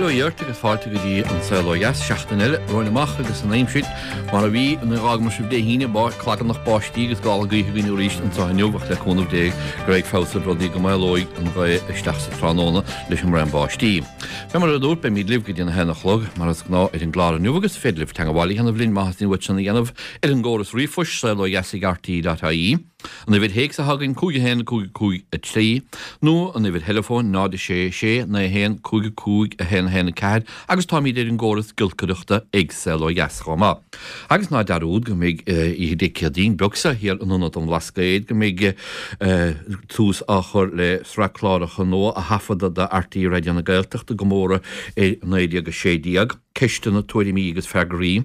Bail ó Dhia ort agus fáilte go dtí An Saol Ó Dheas, seachtain eile romhainn amach agus an aimsir mar a bhí nuair a dh'fhágamar sibh Dé hAoine, clagarnach báistí agus gála gaoithe againn arís anseo inniu ach le cúnamh Dé go raibh feabhas ar rudaí go maolóidh an ghaoth isteach sa tráthnóna leis an mbraon báistí. Fé mar a dúrt, beimid libh go dtí an 1 a chlog mar is gnáth ar an gclár inniu agus féidir libh teangabháil a dhéanamh linn má theastaíonn uait sin a dhéanamh ar an gcóras ríomhphoist, saolodheas@rte.ie. An uimhir théacs atá againn 5 1 5 5 3 nó an uimhir theileafóin 0 6 6 9 1 5 5 1 1 4 agus táimid ar an gcóras giolcaireachta ag Saol Ó Dheas chomh maith. Agus ná dearúd go mbeidh oíche Dé Céadaoin beag seo thiar in Ionad an Bhlascaoid go mbeidh tús á chur le sraith cláracha nua a thaifeadadh do RTÉ Raidió na Gaeltachta i gcomóradh ar 1916. Ceisteanna, Tuairimí agus Freagraí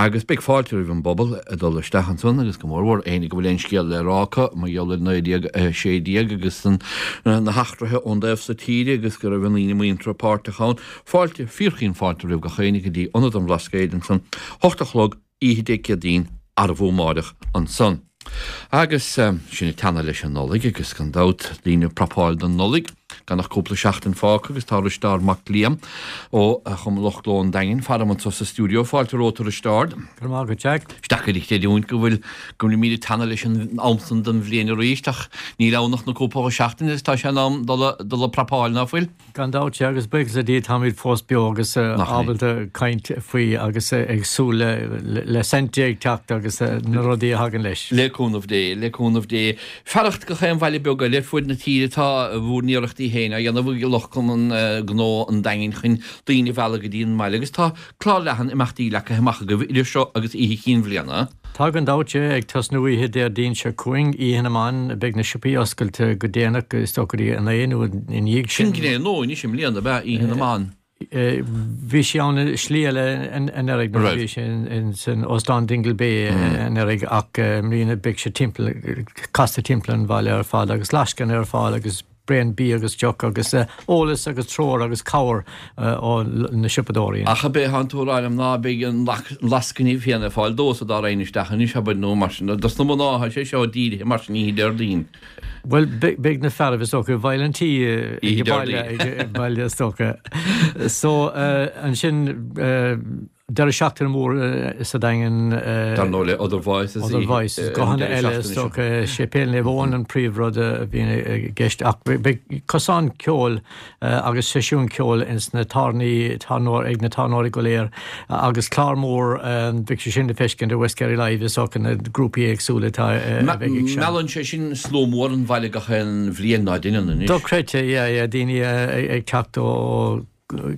agus beidh fáilte roimh an bpobal ag dul isteach ansan agus go mór mhór éinne go bhfuil aon scéal le rá acu mar gheall ar 1916 agus na heachtraithe ón dtaobh so tíre agus go raibh a ndaoine muinteartha páirteach ann. Fáilte, fíorchaoin fáilte roimh gach éinne go dtí Ionad an Bhlascaoid ansan, 8 a chlog, oíche Dé Céadaoin, arbhú amáireach ansan. Agus sinn ag teannadh leis an Nollaig agus gan dabht daoine ag prapáil don Nollaig, gan ach cúpla seachtain fágtha agus tá Risteárd Mac Liam ó Chumann Lucht Gnó an Daingin faram anso sa stiúideo. Fáilte romhat a Risteárd. Go raibh maith agat Jack. Is deacair a chreidiúint go bhfuil go bhfuilimid ag teannadh leis an am san den bhliain arís ach níl ann ach na cúpla seachtain agus tá sé in am dul dul ag prapáil, ná fuil? Gan dabht, sea, agus buíochas le Dia táimid fós beo agus ábalta caint faoi agus ag súil le Saint ag teacht agus na rudaí a thagann leis. Le cúnamh Dé, le cúnamh Dé. Fearacht gach aon bhaile beag eile ar fuaid na tíre tá bhur n-iarrachtaí féin á dhéanamh ag lucht Cumann Gnó an Daingin chun daoine a mhealladh go dtí an mbaile agus tá Clár leathan imeachtaí leagtha amach agaibh idir seo agus Oíche Chinn Bhliana. Tá gan dabht, ag tosnú oíche Déardaoin seo chugainn, Oíche na mBan, beidh na siopaí oscailte go déanach, is dócha go dtí a 9 nó ina dhiaidh sin. Sin gné nua anois i mbliana, ab ea, Oíche na mBan? Bhí sí ann i slí eile anuraidh nuair a bhí sé in Óstán Dingle Bay anuraidh ach i mbliana beidh sé timpeall, casta timpeall an bhaile ar fad agus lascaine ar fáil agus braon bídh agus deoch agus eolas agus treoir agus cabhair ó na siopadóirí. Ach ab é atánn tú a rá liom ná beidh an lascaine féin ar fáil dósa dá raghainn isteach anois, abair, nó mar sin, dos na mná atá sé seo dírithe mar sin oíche Déardaoin. Bhuel, beidh na fearaibh is dócha i bhfeighil an tí ag baile, ag baile is dócha. So, ansin, Deireadh seachtaine mór sa Daingean. Dar ndóigh le Other Voices. Other Voices, guthanna eile is dócha. Séipéal Naomh Eoin an príomhrud a bhíonn i gceist ach beidh cosán ceoil agus seisiún ceoil ins na tábhairní, ag na tábhairneoirí go léir agus clár mór, beidh sé sin le feiscint ar West Kerry Live is dócha na grúpaí éagsúla atá a bheidh ag seinm. Meallann sé sin slua mór an bhaile gach aon bhliain ná deineann anois. Dochreidte, yeah, yeah, daoine ag teacht ó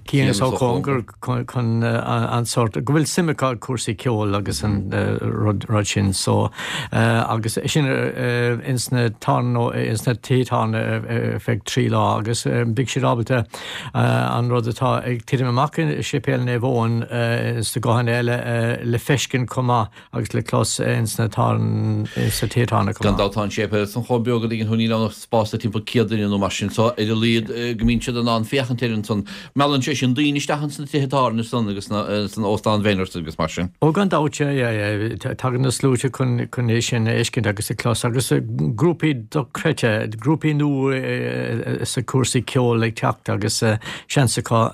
cian is ó chóngar chun an sórt, go bhfuil suim acu i cúrsaí ceoil agus an rud sin so agus sin ins na ins na tithe tábhairne ar feadh 3 lá agus beidh siad ábalta an rud atá ag titim amach i Séipéal Naomh Eoin ins na guthanna eile le feiscint chomh maith agus le clos ins na ins na tithe tábhairne chomh maith. Gan dabht tá an séipéal san chomh beag a dtuigeann tú níl ann ach spás le timpeall 100 duine nó mar sin so ar a laghad go mbíonn siad in ann féachaint air ansan. Meallann sé sin daoine isteach ins na tithe tábhairne san agus san Óstán Bhenner's agus mar sin. Ó gan dabht yeah yeah yeah tagann na sluaite chun chun é sin a fheiscint agus a chlos agus grúpaí dochreidte, grúpaí nua sa cúrsaí ceoil ag teacht agus seans acu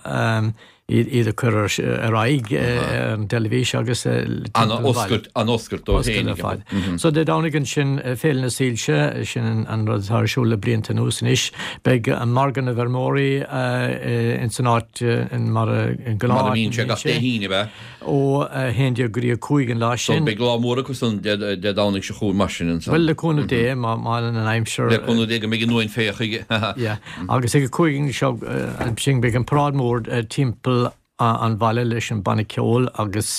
iad a chur ar aghaidh ar an dteilifís agus timpeall an bhaile. An-oscailt dóibh féin. Oscailt ar fad. So Dé Domhnaigh ansin, Féile na Soilse, sin an rud atá ar siúl le blianta anuas anois. Beidh margadh na bhfeirmeoirí ins an áit mar a gnáth. Mar a bhíonn sé gach Dé hAoine, ab ea? Ó 11 go dtí 5 an lá sin. So beidh lá mór acu san Dé Domhnaigh seo chugainn mar sin ansan. Bhuel, le cúnamh Dé, má fhanann an aimsir. Le cúnamh Dé go mbeidh an uain féach. Yeah. Agus ag a 5 seo ansin beidh an paráid mór timpeall an bhaile leis an banna ceoil agus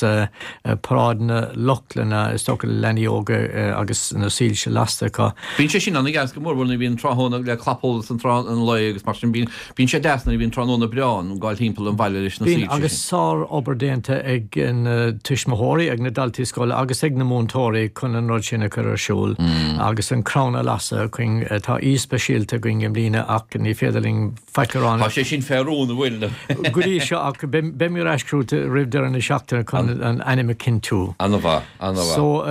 paráid na Lochlainne, is dócha le leanaí óga agus na soilse lasta acu. Bíonn sé sin an-deas go mór mhór nuair a bhíonn tráthnóna le clapsholas an tráth an lae agus mar sin bíonn Bíonn sé deas nuair a bhíonn tráthnóna breá ann, gabháil timpeall an bhaile leis na soilse sin. Bíonn, agus sár-obair déanta ag na tuismitheoirí, ag na daltaí scoile agus ag na múinteoirí chun an rud sin a chur ar siúl agus an crann a lasadh againn. Tá aoi speisialta againn i mbliana ach ní féidir linn faic a rá. Tá sé sin fé rún, an bhfuil? Go dtí seo ach beimid ar ais chugat roimh deireadh na seachtaine chun an ainm a chinntiú. An-mhaith, an-mhaith. So.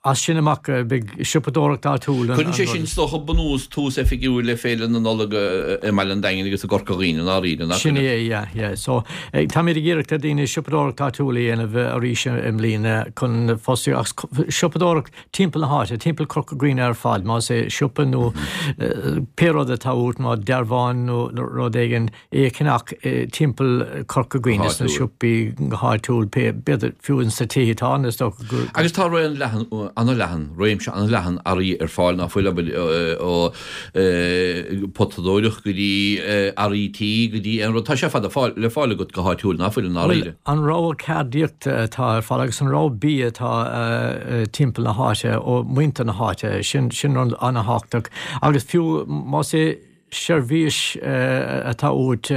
As sin amach beidh siopadóireacht áitiúil an Cuireann sé sin is dócha bunús, tús oifigiúil le Féile na Nollag i mBaile an Daingin agus i gCorca Dhuibhne i ndáiríre, nach Sin é, yeah, yeah. So táimid ag iarraidh ar daoine siopadóireacht áitiúil a dhéanamh arís i mbliana chun fostaíocht, agus siopadóireacht timpeall na háite, timpeall Corca Dhuibhne ar fad, más é siopa nó pé rud atá uait, má dearbhán nó rud éigin, é a cheannach timpeall Corca Dhuibhne sna siopaí go háitiúil, b'fhéidir fiú ins na tithe atá ann is dócha gur. Agus tá raon leathan, an-leathan, réimse an-leathan earraí ar fáil ná fuil, abair, ó potadóireacht go dtí earraí tí go dtí aon rud. Tá sé ar fad le fáil agat go háitiúil ná fuil i ndáiríre. Bhuel, an rogha ceardaíochta atá ar fáil agus an rogha bia atá timpeall na háite ó mhuintir na háite, sin rud an-thábhachtach. Agus fiú más é seirbhís atá uait,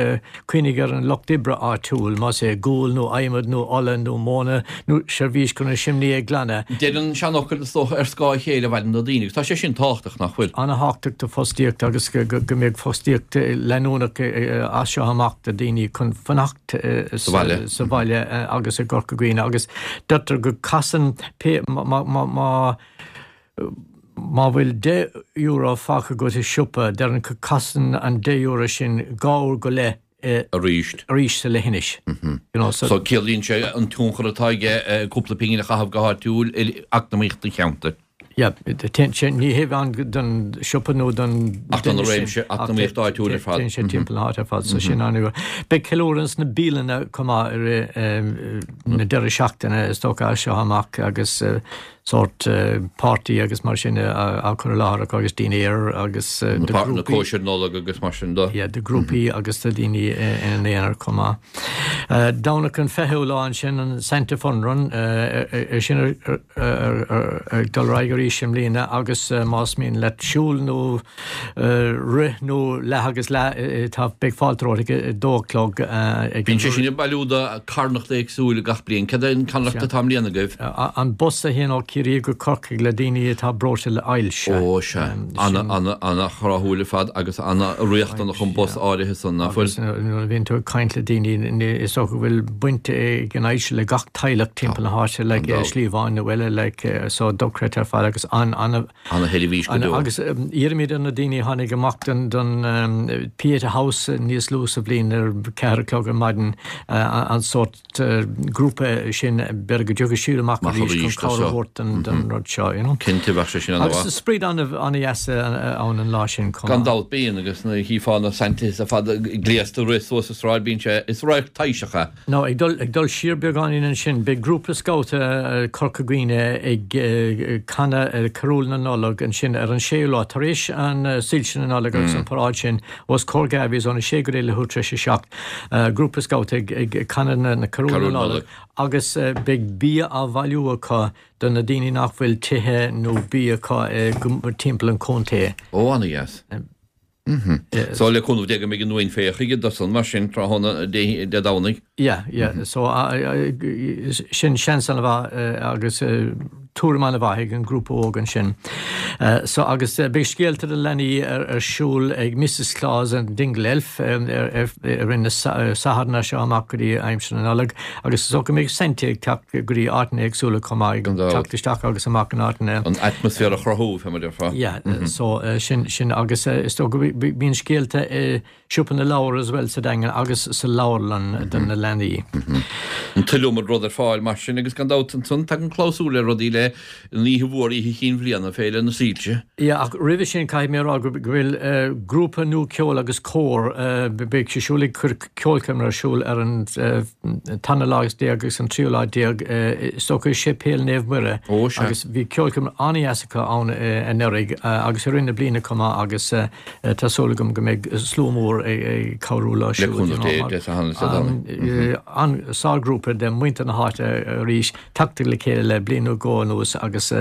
cuimhnigh ar an lucht oibre áitiúil, más é gual nó adhmad nó ola nó móna nó seirbhís chun an simné a ghlanadh. Deir an seanfhocal, is dócha, ar scáth a chéile a mhaireann na daoine, agus tá sé sin tábhachtach, nach bhfuil? An-thábhachtach do fostaíocht agus go mbeadh fostaíocht leanúnach as seo amach do daoine chun fanacht sa bhaile agus i gCorca Dhuibhne agus deirtear go casann pé má Má bhfuil €10 fágtha agat i siopa, deireann go casann an €10 sin 2 uair go leith arís. arís sa leithinis. You know, so. So ciallaíonn sé an tionchar atá aige cúpla pingin a chaitheamh go háitiúil ar eacnamaíocht an cheantair. Yeah, téann sé, ní hé amháin don siopa nó don Ach don duine sin, réimse ach eacnamaíocht áitiúil ar fad. téann sé timpeall na háite ar fad, so sin an-. Beidh ceiliúradh sna bialanna chomh maith i rith na deireadh seachtaine is dócha as seo amach agus sórt páirtí agus mar sin á chur i láthair acu agus dinnéar agus do ghrúpaí. Na cóisir Nollag agus mar sin de. Yeah, do ghrúpaí agus do dhaoine ina n-aonar chomh maith. Domhnach an 20ú lá ansin, an Santa Fun Run, é sin ag dul ar aghaidh arís i mbliana agus más mian leat siúl nó rith nó leath agus leath, tá, beidh fáilte romhat ag a dó a chlog ag an. Bíonn sé sin ag bailiú do carthanacht éagsúil gach bliain. Cad é an carthanacht atá i mbliana agaibh? An bus a théann ó Chiarraí go Corcaigh le daoine atá breoite le ailse. Ó sea. Ana-thráthúil ar fad agus ana-riachtanach an bus áirithe san, nach bhfuil? Agus nuair a bhíonn tú ag caint le daoine, is dócha go bhfuil baint ag an ailse le gach teaghlach timpeall na háite, like slí amháin nó eile, like so dochreidte ar fad agus an-, Ana-sheirbhís go deo. Agus iarraimid ar na daoine a tháinig amach don Pieta House níos luaithe sa bhliain ar 4 a chlog ar maidin an sórt grúpa sin, b'fhéidir go dtiocfaidh siad amach arís chun cabhair a thabhairt don rud seo, you know. Cinnte, bheadh sé sin an-mhaith. Agus spraoi an-dheas ann an lá sin chomh maith. Gan dabht bíonn, agus nuair a chífeá na Santas ar fad gléasta ag rith suas an tsráid, bíonn sé, is radharc taibhseach é. Now, ag dul, ag dul siar beagáinín ansin, beidh grúpa scabhta Corca Dhuibhne ag canadh Carúil na Nollag ansin ar an séú lá, tar éis an soilse na Nollag agus an paráid sin os comhair Garveys óna sé go dtí leathuair tar éis a 7. Grúpa scabhta ag, ag canadh na, na Carúil na Nollag agus beidh bia á bhailiú acu do na daoine nach bhfuil tithe nó bia acu timpeall an chontae. Ó, ana-dheas. So le cúnamh Dé go mbeidh an uain féich chuige do san mar sin tráthnóna Dé Domhnaigh. Yeah, yeah. So sin seans an-mhaith agus tuairim an-mhaith ag an grúpa óg ansin. So agus beidh scéalta do leanaí ar siúl ag Mrs Claus and Dingle Elf i rith na Satharn as seo amach go dtí aimsir na Nollag agus is dócha go mbeidh Santa ag teacht go dtí áiteanna éagsúla chomh maith, ag teacht isteach agus amach in áiteanna. An atmaisféar a chruthú, fé mar a déarfá. Yeah, so sin, sin agus is dócha go mbíonn scéalta i Siopa na Leabhar as well sa Daingean agus sa leabharlann do na leanaí. An t-iliomad rud ar fáil mar sin agus gan dabht ansan tagann clabhsúr le rudaí le an oíche mhór, Oíche Chinn Bhliana, Féile na Soilse. Yeah, ach roimhe sin caithfidh mé a rá go bhfuil grúpa nua ceoil agus cór, beidh sé siúl ag cur ceolchoirm ar siúl ar an tarna lá déag agus an tríú lá déag is dócha i Séipéal Naomh Muire agus bhí ceolchoirm an-dheas acu ann anuraidh agus i rith na bliana chomh maith agus tá súil agam go mbeidh slua mór ag cabhrú leo siúd. An sárghrúpa de mhuintir na háite arís tagtha le chéile le bliain nó dhó anuas agus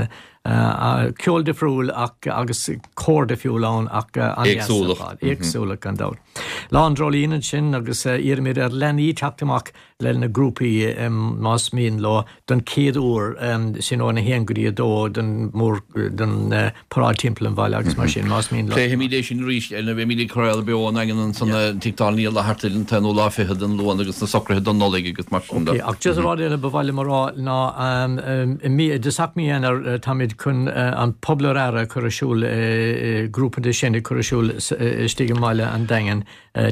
ceol difriúil ach agus cór difriúil ann ach an-deas ar fad. Éagsúlacht gan dabht. Lá an Dreoilín ansin agus iarraimid ar leanaí teacht amach le na grúpaí más mian leo don chéad uair, sin óna haon go dtí a dó don mór don paráid timpeall an bhaile agus mar sin más mian leo. Pléifimid é sin arís nuair a bheimid ag craoladh beo ón nDaingean ansan Tigh Dáil Uí Fhlatharta an t-aonú lá fichead den Luan agus na socruithe don Nollaig agus mar sin de. Ok, ach just rud eile ba mhaith liom a rá ná i mí, i dtosach mí Eanáir táimid. muid chun an Pobal ar Aire a chur ar siúl, grúpa de sin ag cur ar siúl istigh i mbaile an Daingin.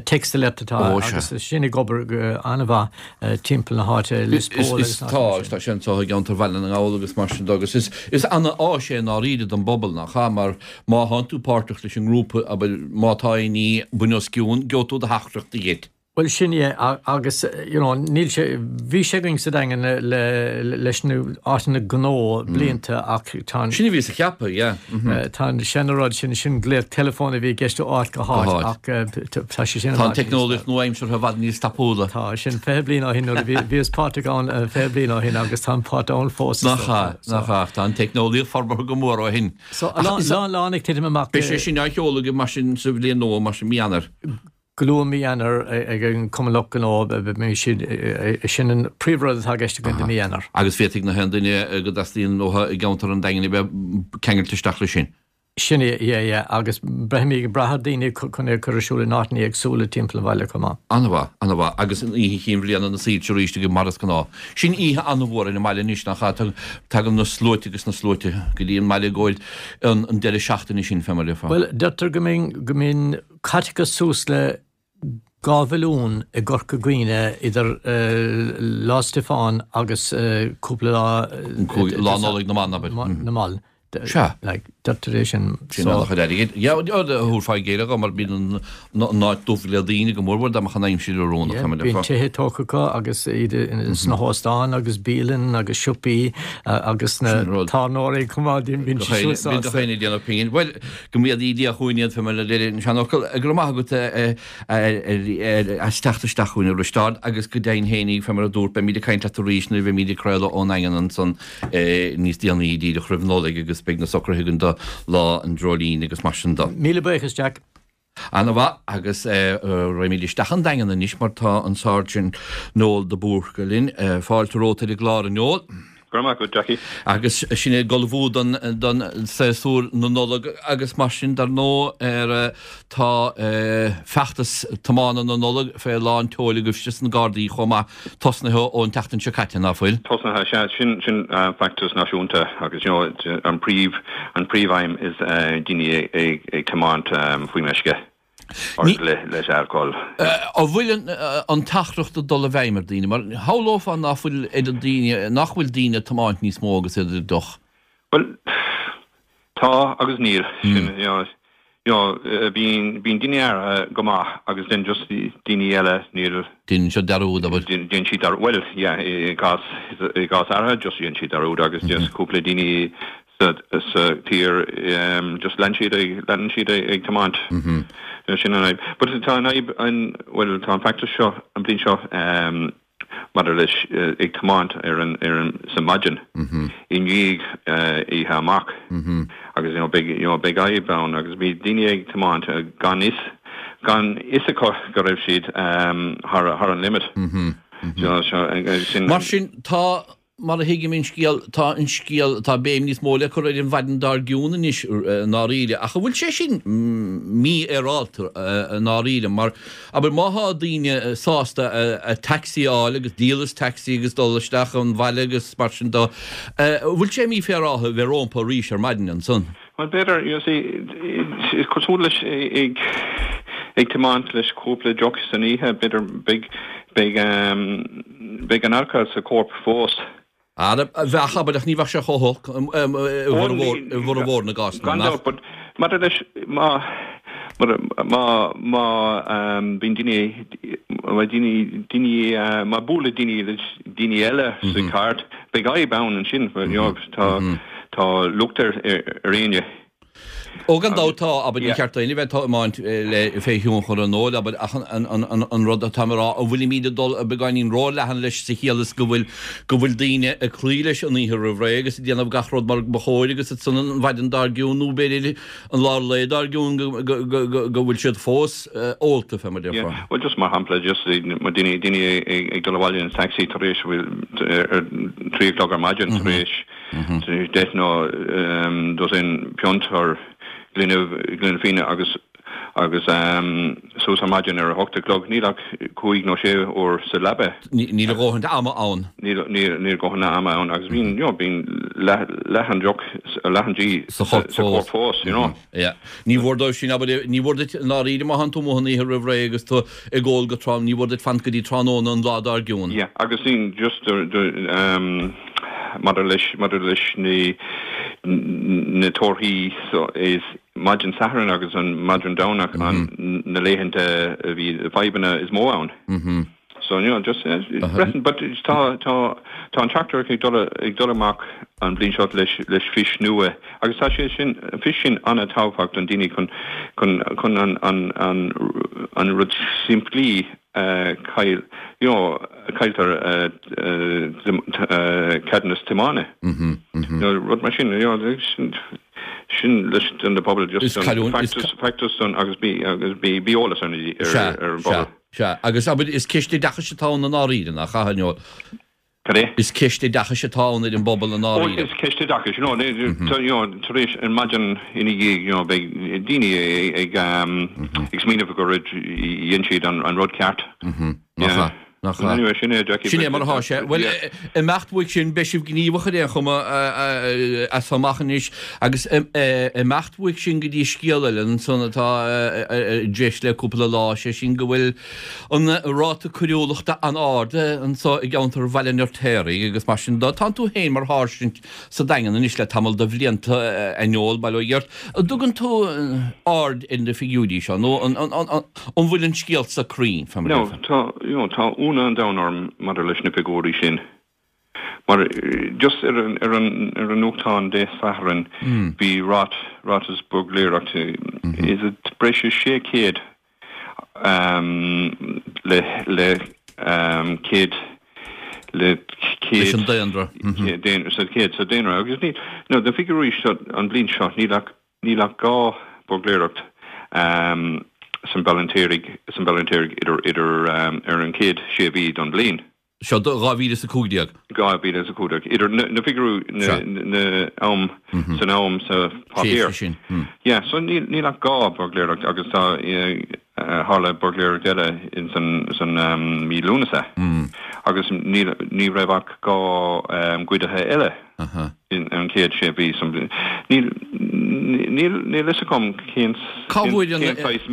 Text Alert atá agus sin ag obair go an-mhaith timpeall na háite, Lios Póil agus na Tá, agus tá sé anseo i gceantar Bhaile na nGall agus mar sin de agus is is ana-áis é i ndáiríre don bpobal, nach ea? Mar má thánn tú páirteach leis an ngrúpa, abair, má tá aon ní buan os cionn, gheobhaidh tú do theachtaireacht dhuit. Bhuel sin é agus you know níl sé, bhí sé againn sa Daingean le leis na áiteanna gnó blianta ach tá an. Sin a bhíos a cheapadh, yeah. Tá an seana-rud sin, sin glaoch teileafóin a bhí i gceist ó áit go háit ach tá sé sin i bhfad níos. Tá an teicneolaíocht nua-aimseartha i bhfad níos tapúla. Tá, sin 20 bliain ó shin nuair a bhí, bhíos páirteach ann 20 bliain ó shin agus tá an páirt ann fós is dócha. Nach ea, nach ea, tá an teicneolaíocht forbartha go mór ó shin. So, a lán ag titim amach. Beidh sé sin á sheoladh agaibh mar sin sa bhliain nua, mar sin, mí Eanáir. Go luath mí Eanáir ag an Cumann Lucht Gnó, beidh siad, sin an príomhrud atá i gceist againn do mí Eanáir. Agus féadfaidh na haon duine go dteastaíonn uathu i gceantar an Daingin a bheith ceangailte isteach leis sin. Sin é, yeah, yeah, agus beimid ag brath ar daoine chun é a chur ar siúl in áiteanna éagsúla timpeall an bhaile chomh maith. An-mhaith, an-mhaith. Agus an Oíche Chinn Bhliana na Soilse arís agaibh mar is gnáth. Sin oíche an-mhór ar an mbaile anois, nach ea? Tagann na sluaite agus na sluaite go dtí an mbaile i gcomhair an deireadh seachtaine sin, fé mar a déarfá. Bhuel, deirtear go mbíonn, go mbíonn Caiteachas suas le 2 mhilliún i gCorca Dhuibhne idir Lá Stiofáin agus cúpla lá. Lá Nollag na mBan, abair. Na mBan. Sea. Deirtear é sin. Sin an-chuid airgid. Yeah, thabharfá i gcéile dhó mar bíonn an áit dubh le daoine go mórmhór dá mbeadh an aimsir oiriúnach. Yeah, bíonn tithe tógtha acu agus iad sna hóstáin agus bialann agus siopaí agus na tábhairneoirí chomh maith, bíonn siad sásta. Bíonn gach éinne ag déanamh pingin. Bhuel, Go méadaí Dia chugainn iad, fé mar a deir an seanfhocal. Go raibh maith agat as teacht isteach chugainn, a Risteáird, agus go deimhin fhéinig, fé mar a dúrt, beimid ag caint leat arís nuair a bheimid ag craoladh ón nDaingean ansan níos déanaí, díreach roimh Nollaig, agus beidh na socruithe againn do Lá an Dreoilín agus mar sin de. Míle buíochas, Jack. Ana-mhaith, agus raghaimid isteach an Daingean anois mar tá an Sáirsint Noel de Búrca linn. Fáilte romhat ar an gclár, a Noel. Go raibh maith agat, Jackie. Agus sinn ag ullmhú don don séasúr na Nollag agus mar sin dar ndóigh ar tá feachtas tiomána na Nollag fé lán tseoil agaibhse sna Gardaí chomh maith tosnaithe ón tseachtain seo caite, ná fuil? Tosnaithe, sea. Sin sin feachtas náisiúnta agus you know an príomh an príomhaidhm is daoine ag ag tiomáint faoi meisce or le leis alcohol. An bhfuil an an teachtaireacht ag dul i bhfeidhm ar daoine? Mar shamhlófá ná fuil oiread daoine, nach bhfuil daoine ag tiomáint níos mó agus iad ar deoch. Bhuel, tá agus níl. Sin you know you know bíonn bíonn daoine áirithe go maith agus then just daoine eile níl. Déanann siad dearúd, abair. Déanann siad dearúd, bhuel yeah i gcás i gcás áirithe just déanann siad dearúd agus just cúpla daoine sa sa tír just lean siad ag leanann siad ag tiomáint. Sin an fhadhb. But tá an fhadhb an bhuel tá an feachtas seo an bhliain seo maidir leis ag tiomáint ar an ar an sa maidin i ndiaidh oíche amach agus you know beidh you know beidh fhadhb ann agus bhí daoine ag tiomáint gan fhios gan fhios acu go raibh siad thar thar an limit. You know sin. Mar sin tá Mar a thuigim an scéal, tá an scéal, tá béim níos mó le cur ar an mhaidin dár gcionn anois i ndáiríre. Ach an bhfuil sé sin mífhéaráilte i ndáiríre? Mar, abair, má thá daoine sásta a taxi a fháil agus díol as taxi agus dul isteach an bhaile agus mar sin de, an bhfuil sé mífhéaráilte a bheith rómpa arís ar maidin ansan? Bhuel, b'fhéidir, you see, is cosúil leis ag ag tiomáint leis cúpla deoch san oíche, b'fhéidir, beidh, beidh, beidh an alcohol sa chorp fós. Ara, bheadh, abair, ach ní bheadh sé chomh holc i bhformhór, i bhformhór na gcásanna, Gan dabht, but maidir leis, má, má, má bíonn daoine, má daoine, daoine, má buaileann daoine leis daoine eile sa charr, beidh fadhb ann ansin, you know, tá, Tá locht ar éinne. Ó gan dabht tá, abair, ní ceart d'éinne bheith ag tiomáint le fé thionchar an óil, abair, ach an rud atá mé a rá, an bhfuilimid ag dul beagáinín ró-leathan leis sa chiall is go bhfuil, go bhfuil daoine ag cloí leis an oíche roimh ré agus ag déanamh gach rud mar ba chóir agus ansan an mhaidin dár gcionn nó b'fhéidir an lár lae dár gcionn go, go, go, go, go bhfuil siad fós ólta, fé mar déarfá. Bhuel, just mar shampla, just daoine, daoine ag dul abhaile in taxi tar éis, bhfuil, ar 3 a chlog ar maidin tar éis, 10 nó dosaen piont or gloine, gloine fíona agus, agus. suas ar maidin ar a hocht a chlog, níl ach cúig nó sé uair sa leaba. Níl a dhóthain ama ann. Níl, níl a dhóthain ama ann agus bíonn, you know, bíonn leath, leath an deoch, leath an dí sa chorp fós, you know. Yeah. Ní mhór dóibh sin, abair, ní mhór duit i ndáiríre má thánn tú amuigh an oíche roimh ré agus tú ag ól go trom, ní mhór duit fanacht go dtí tráthnóna an lá dár gcionn. Yeah, agus sin just um, maidir leis, maidir leis na, na torthaí so is maidin Sathairn agus an maidin Domhnach an na laethanta a bhí fadhbanna is mó ann. Mm-hmm. So, you know, just breathain, but tá, tá, tá an teachtaireacht ag dul, ag dul amach an bhliain seo leis, leis fís nua agus tá sé sin, an fís sin an-tábhachtach don daoine chun, chun, chun an, an, an, an rud simplí a chaill, you know, a chailltear ceadúnas tiomána. You know, rud mar sin, you know, sin, sin leis don pobal just an feachtas, feachtas don agus bí, agus bí, bí eolas ar na, ar, ar an bpobal. Sea, agus abair, is ceist oideachais atá ann i ndáiríre, nach ea, a Noel? Cad é? Is ceist oideachais atá ann ar an bpobal i ndáiríre. Ó, is ceist oideachais, you know, you know, tar éis an maidin ina dhiaidh, you know, beidh daoine ag, ag smaoineamh gur dhein siad an rud ceart. Nach ea? Nach ea? Anyway, sin é, Jackie. Sin é mar atá sé. Bhuel, imeacht uaidh sin, beidh sibh gníomhach ar aon chuma as seo amach anois agus imeacht uaidh sin go dtí scéal eile ansan atá i dtreis le cúpla lá, sé sin go bhfuil an ráta coiriúlachta an-ard anso i gceantar Bhaile an Fheirtéaraigh agus mar sin de. Tánn tú féin mar sháirsint sa Daingean anois le tamall de bhlianta, a Noel, bail ó Dhia ort. An dtugann tú aird ar na figiúirí seo nó an bhfuil an scéal so cruinn, fé mar a déarfá? No, tá, you know, tá ionadh an domhain orm maidir leis na figiúirí sin. Mar just ar an, ar an, ar an nuachtán Dé Sathairn bhí rát, ráiteas buirgléireachta, is it breis is 600 le, le 100, le 100. Leis an daonra. Sa 100 sa daonra. Agus ní, no, na figiúirí seo an bhliain seo, níl ach, níl ach 2 buirgléireacht san Baile an Fheirtéaraigh, san Baile an Fheirtéaraigh idir, idir, ar an chéad sé mhí don bhliain. Seo do 2015. 2015. Idir na figiúirí na am san am sa páipéar. Sin. Yeah, so níl níl ach 2 buirgléireacht agus tá tharla buirgléireacht eile in san san mí Lúnasa. Agus níl ní raibh ach 2 goidithe eile. In an chéad sé mhí san bhliain. Níl níl níl fhios agam cén Cá bhfuair an cén saghas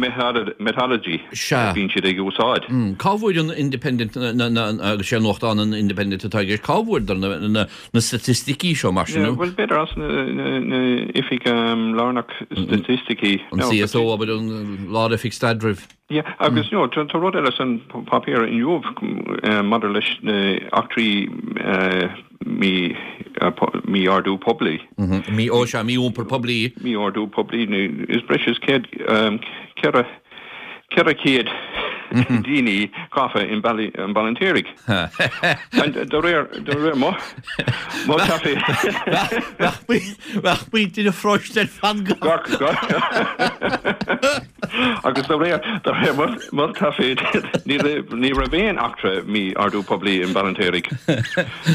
methodology a bhíonn siad ag úsáid. Cá bhfuair an Independent na na agus sé nuachtán an Independent atá i gceist, cá bhfuaireadar na na na staitisticí seo mar sin? Yeah, bhuel b'fhéidir as na na na oifig lárnach staitisticí. An CSO abair an Lár-Oifig Staidrimh. Yeah, agus you know, tá rud eile san páipéar inniu maidir leis na eachtraí mí mí-ordú poiblí. Mí, ó sea, mí-iompar poiblí. Mí-ordú poiblí, is breis is 100, 400 daoine gafa i mBaile an Fheirtéaraigh. De réir, de réir mo, mo taifead. Bheadh muintir an pharóiste ar fad gafa. Agus de réir de réir mo thaifead ní raibh ní raibh aon eachtra mí-ordú poiblí i mBaile an Fheirtéaraigh.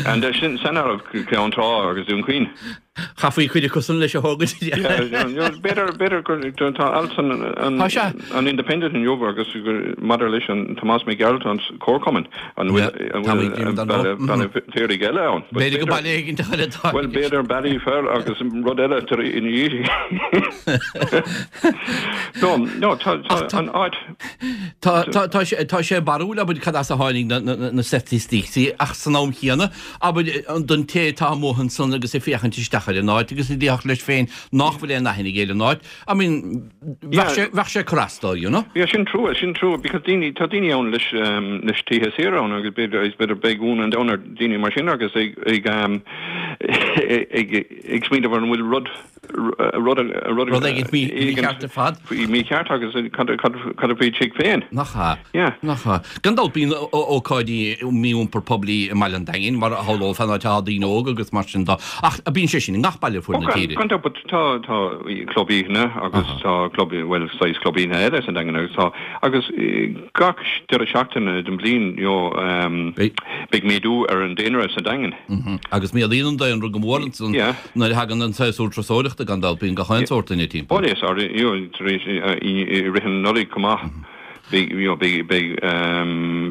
And sin san áireamh Ceann Trá agus Dún Chaoin. Chaithfí cuid acusan leis a thógaint. B'fhéidir b'fhéidir gur tá alt san an Tá sé. an Independent inniu agus maidir leis an Tomás Mac Gearailt an Comharchumann an bhfuil an Tá bhfuil muid ag Baile Baile an Fheirtéaraigh eile ann. B'fhéidir go baile éigin eile atá. Bhuel b'fhéidir Ballyfer agus rud eile tar ina dhiaidh. No, no, tá tá an áit. Tá tá tá sé tá sé barrúil abair cad as a tháinig na na na staitisticí ach san am chéanna abair don té atá amuigh ansan agus ag féachaint isteach ar an áit agus a déarfadh leis féin nach bhfuil aon aithne aige ar an áit I mean bheadh sé bheadh sé ag cur as dó you know. Yeah, sin trua, sin trua because daoine tá daoine ann leis leis tithe saora ann agus b'fhéidir is b'fhéidir beidh ionadh an domhain ar daoine mar sin agus ag ag ag ag smaoineamh ar an bhfuil rud rud rud éigin mícheart ar fad. Mícheart agus cad cad a faoi tigh féin. Nach ea? Yeah. Nach ea? Gan dabht bíonn ócáidí mí-iompar poiblí i mBaile an Daingin mar a shamhlófá an áit atá daoine óga agus mar sin de ach bíonn sé sin i ngach baile ar fuaid na tíre. Gan dabht but tá tá club oícheanna agus tá club bhuel saghas club oícheanna eile sa Daingean agus tá agus gach deireadh seachtaine den bhliain you know beidh méadú ar an daonra sa Daingean. Agus méadaíonn an daonra go mór ansan Nuair a thagann an séasúr turasóireachta gan dabht bíonn gach aon sórt duine timpeall. Bhuel is you know tar éis i rith an Nollaig chomh maith. Beidh, you know, beidh, beidh,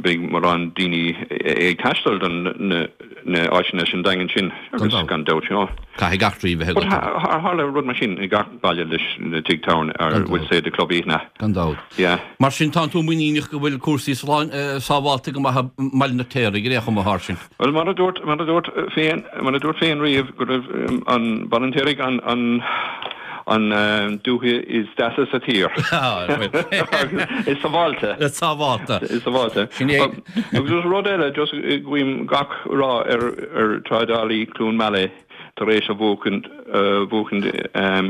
beidh mórán daoine ag taisteal don na, na áiteanna sin, Daingean sin, agus gan dabht, you know. Caithfidh eachtraí bheith agat. But tharla rud mar sin i gach baile leis na tigh tábhairne, or we'll say the club oícheanna. Gan dabht. Yeah. Mar sin, tánn tú muiníneach go bhfuil cúrsaí slán, sábhálta go maith i mBaile an Fheirtéaraigh ar aon chuma, a Sháirsint? Bhuel, mar a dúirt, mar a dúirt féin, mar a dúirt féin riamh go raibh an Baile an Fheirtéaraigh an, an, an dúiche is deasa sa tír. Agus is sábháilte. Is sábháilte. Is sábháilte. Sin é. Agus rud eile, just guím gach rath ar, ar Trádálaí Cluain Meala. tar éis a bhuachaint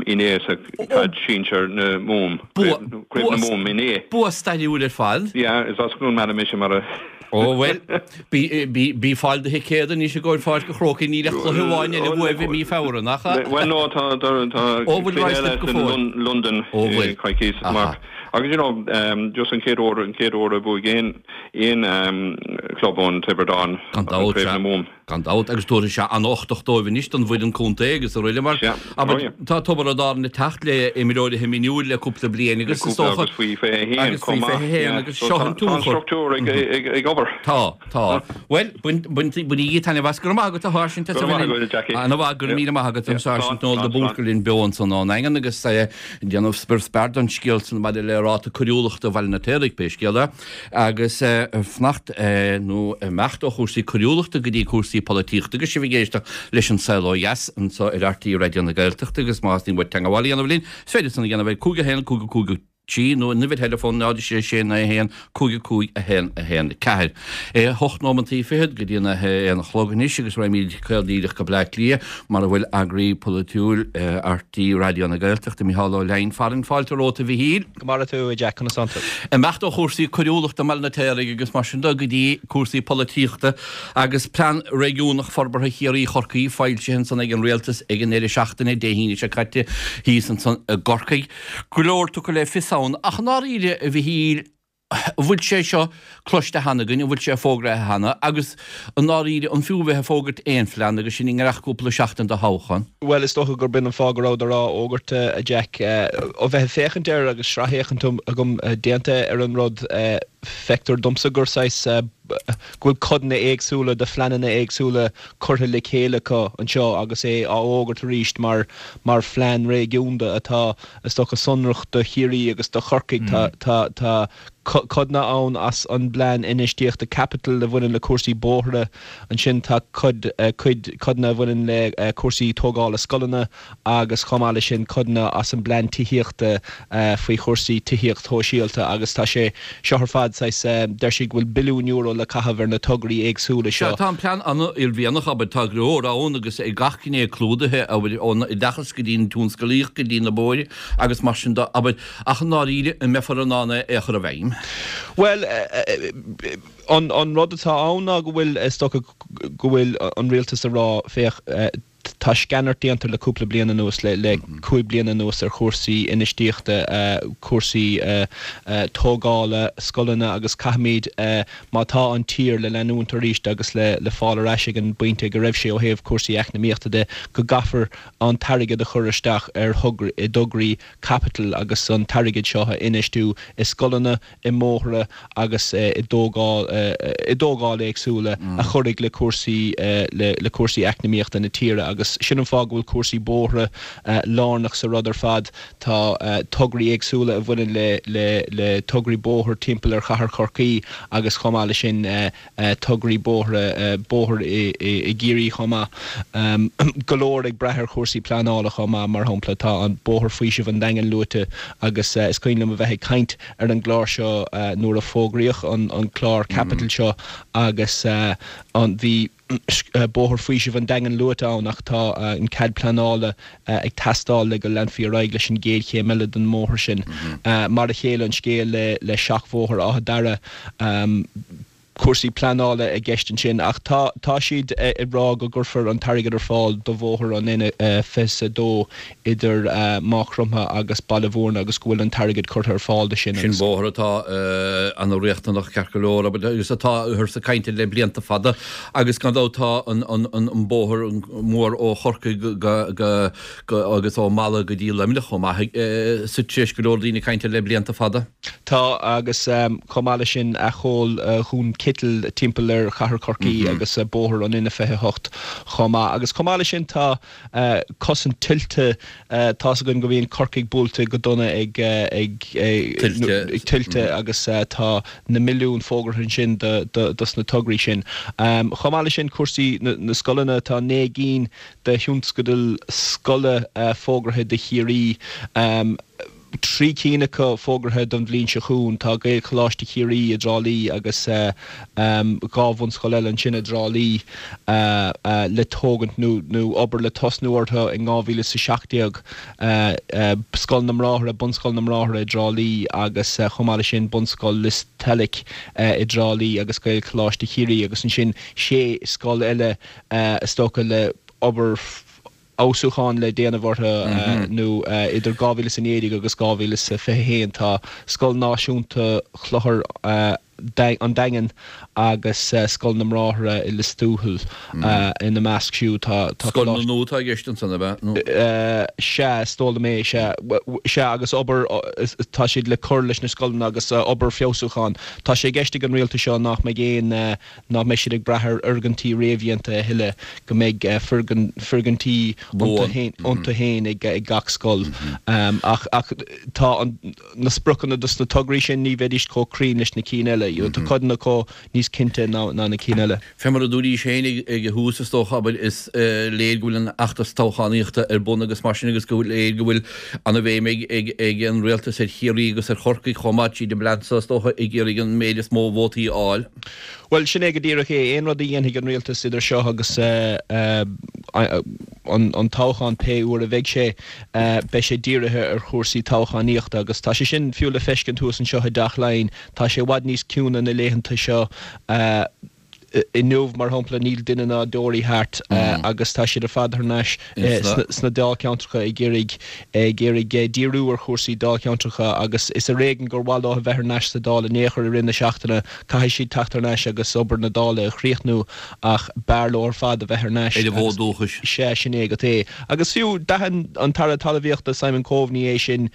inné sa Caid Sinsir na Mumhan, Craobh na Mumhan inné. Bua stairiúil ar fad. Yeah, is as Cluain Meala mise mar a. Ó bhuel, bí fáil do thicéad anois i gcomhair Pháirc an Chrócaigh, níl ach cluiche amháin eile uaibh i mí Feabhra, nach ea? Bhuel no, tá cluiche eile in Londain coicís amach. Agus you know, just an chéad uair, an chéad uair a bhuaigh aon club ón Tiobraid Árann Craobh na Mumhan. Gan dabht, agus tabharfaidh sé an-uchtach dóibh anois don bhfoireann contae agus araile mar, abair, tá Tiobraid Árann ag teacht le imreoirí minúil le cúpla bliain agus is dócha, agus faoi 21 agus faoi 21 agus seo an tionchar. Tá an struchtúr ag obair. Tá, tá. Bhuel, bainigí taitneamh as. Go raibh maith agat a Sháirsint as a bheith linn. Ana-mhaith, go raibh míle maith agat an Sáirsint Noel de Búrca linn beo ansan ón nDaingean agus ag déanamh spior spear don scéal san maidir le ráta coiriúlachta Bhaile an Fheirtéaraigh, pé scéal é. Agus fanacht nó imeacht ó chúrsaí coiriúlachta go dtí cúrsaí polaitíochta agus sibh ag éisteacht leis An Saol Ó Dheas anseo ar RTÉ Raidió na Gaeltachta agus má theastaíonn uait teagmháil a dhéanamh linn, is féidir san a dhéanamh ar 5 1 5 5 3 nó an uimhir theileafóin 0 6 6 9 1 5 5 1 1 4. 8 nóimeantaí fichead go dtí an 1 a chlog anois agus raghaimid caol díreach go Bleá Cliath mar a bhfuil eagraí polaitiúil RTÉ Raidió na Gaeltachta, Micheál Ó Leidhin farainn. Fáilte romhat a Mhichíl. Go maire tú, a Jack, conas tánn tú? Imeacht ó chúrsaí coiriúlachta i mBaile an Fheirtéaraigh agus mar sin de go dtí cúrsaí polaitíochta agus Plean Réigiúnach Forbartha Chiarraí Chorcaí foilsithe ansan ag an Rialtas ag an ndeireadh seachtaine, Dé hAoine seo caite, thíos ansan i gCorcaigh. Go leor tugtha le fios ann ach i ndáiríre, a Mhichíl, An bhfuil sé seo cloiste cheana againn, an bhfuil sé fógraithe cheana agus i ndáiríre an fiú a bheith ag fógairt aon phlean agus sinn i ngiorracht cúpla seachtain do thoghchán? Bhuel, is dócha gurb in an fáth go rabhadar á fhógairt, a Jack. Ó bheith ag féachaint air agus sraithfhéachaint agam déanta ar an rud, feictear domsa gur saghas, go bhfuil codanna éagsúla de phleananna éagsúla curtha le chéile acu anseo agus é á fhógairt arís mar mar phlean réigiúnda atá, is dócha, sonrach do Chiarraí agus do Chorcaigh. Tá tá tá codanna ann as an bplean infheistíochta caipitil a bhaineann le cúrsaí bóithre, ansin tá cuid cuid codanna a bhaineann le cúrsaí tógála scoileanna agus chomh maith leis sin codanna as an bplean tithíochta faoi chúrsaí tithíocht shóisialta agus tá sé seo ar fad saghas, deir siad go bhfuil billiún euro le caitheamh ar na tograí éagsúla seo. Sea, tá an plean an-uaillmhianach, abair, tá go leor ann agus gach gné clúdaithe, abair, ón oideachas go dtí an tionscalaíocht go dtí na bóithre agus mar sin de, abair, ach i ndáiríre, an mbeifear in ann é a chur i bhfeidhm? Bhuel, an rud atá ann ná go bhfuil, is dócha go bhfuil an rialtas ag rá, féach, Tá sceanairt déanta le cúpla bliain anuas, le 5 bliana anuas ar chúrsaí infheistíochta, cúrsaí tógála scoileanna agus caithfimid, má tá an tír le leanúint arís agus le fáil ar ais ag an bpointe go raibh sé ó thaobh cúrsaí eacnamaíochta de, go gcaithfear an t-airgead a chur isteach ar i dtograí caipitil agus an t-airgead seo a infheistiú i scoileanna, i mbóithre agus i dtógáil i dtógáil éagsúla a chuirfidh le cúrsaí le cúrsaí eacnamaíochta na tíre agus sin an fáth go bhfuil cúrsaí bóithre lárnach sa rud ar fad. Tá tograí éagsúla a bhaineann le le le tograí bóthair timpeall ar chathair Chorcaí agus chomh maith leis sin tograí bóithre, bóthar i gCiarraí chomh maith. Go leor ag brath ar chúrsaí pleanála chomh maith, mar shampla tá an Bóthar Faoisimh an Daingin luaite agus is cuimhin liom a bheith ag caint ar an gclár seo nuair a fógraíodh an clár caipitil seo agus an bhí Bóthar Faoisimh an Daingin luaite ann ach tá an cead pleanála ag teastáil le go leanfaí ar aghaidh leis an gcéad chéim eile den mbóthar sin. Mar a chéile an scéal le Seachbhóthar Áth Dara. Cúrsaí pleanála i gceist ansin ach tá tá siad ag rá go gcuirfear an t-airgead ar fáil do bhóthar an N22 idir Maigh Chromtha agus Baile Mhúirne agus go bhfuil an t-airgead curtha ar fáil do sin Sin agus. bóthar atá ana riachtanach ceart go leor agus atá cúrsaí cainte le blianta fada agus gan dabht tá an an an bóthar mór ó Chorcaigh go go go agus ó Mala go dtí Luimneach chomh maith tar éis go leor daoine caint air le blianta fada. Tá, agus chomh maith leis sin acomhal Dhún Citil timpeall ar Chathair Chorcaí agus bóthar an N28 chomh maith. Agus chomh maith leis sin tá cosaint tuilte, tá's againn go mbíonn Corcaigh buailte go dona ag tuilte agus tá na milliúin fógartha ansin dos na tograí sin. Chomh maith leis sin cúrsaí na scoileanna, tá 9 gcinn de thionscadail scoile fógartha do Chiarraí. 3 cinn acu fógartha don bhliain seo chugainn. Tá Gaelcholáiste Chiarraí i dTrá Lí agus 2 bhunscoil eile ansin i dTrá Lí le tógaint nó obair le tosnú orthu in 2017, Scoil na mBráithre, Bunscoil na mBráithre i dTrá Lí agus chomh maith leis sin Bunscoil Lios Tuilidh i dTrá Lí agus Gaelcholáiste Chiarraí agus ansin 6 scoil eile is dócha le obair fheabhsúcháin le déanamh orthu nó idir 2019 agus 2021 tá Scoil Náisiúnta Chlochar an Daingin agus Scoil na mBráithre i Lios Tuathail ina measc siúd. Tá Scoileanna nua atá i gceist ansan, ab ea? Nó? Sea, is dóigh liom é, sea. Sea, agus obair, tá siad le cur leis na scoileanna agus obair feabhsúcháin. Tá sé i gceist ag an rialtas seo nach mbeidh aon nach mbeidh siad ag brath ar fhoirgintí réamhdhéanta a thuilleadh, go mbeidh foirgintí iontu féin ag gach scoil. Ach tá na spriocanna dos na tograí sin, ní bheidís chomh cruinn leis na cinn eile. Tá codanna acu níos cinnte ná na cinn eile. Fé mar a dúraís féin ag an thús, is dócha, abair, is léir go bhfuil an fheachtas toghchánaíochta ar bun agus mar sin agus go léir go bhfuil ana-bhéim ag an rialtas ar Chiarraí agus ar Chorcaigh chomh maith tríd an bplean so, is dócha, ag iarraidh an méid is mó vótaí a fháil. Bhuel, sin é go díreach é. Aon rud a dhéanfaidh an rialtas idir seo agus an toghchán, pé uair a bheidh sé, beidh sé dírithe ar chúrsaí toghchánaíochta agus tá sé sin fiú le feiscint thuas anseo i dTeach Laighean. Tá sé i bhfad níos ciúine na laethanta seo. Inniu, mar shampla, níl duine ná deoraí thart agus tá siad ar fad thar n-ais sna dáilcheantracha ag iarraidh ag iarraidh díriú ar chúrsaí dáilcheantracha agus is ar éigean gur mhaith leo a bheith thar n-ais sa Dáil in aon chor i rith na seachtaine. Caithfidh siad teacht thar n-ais agus obair na Dála a chríochnú ach b'fhearr leo ar fad a bheith thar n-ais Ar an bhfód dúchais. Sea, sin é agat é. Agus fiú, d'aithin an tAire Talmhaíochta Simon Coveney é sin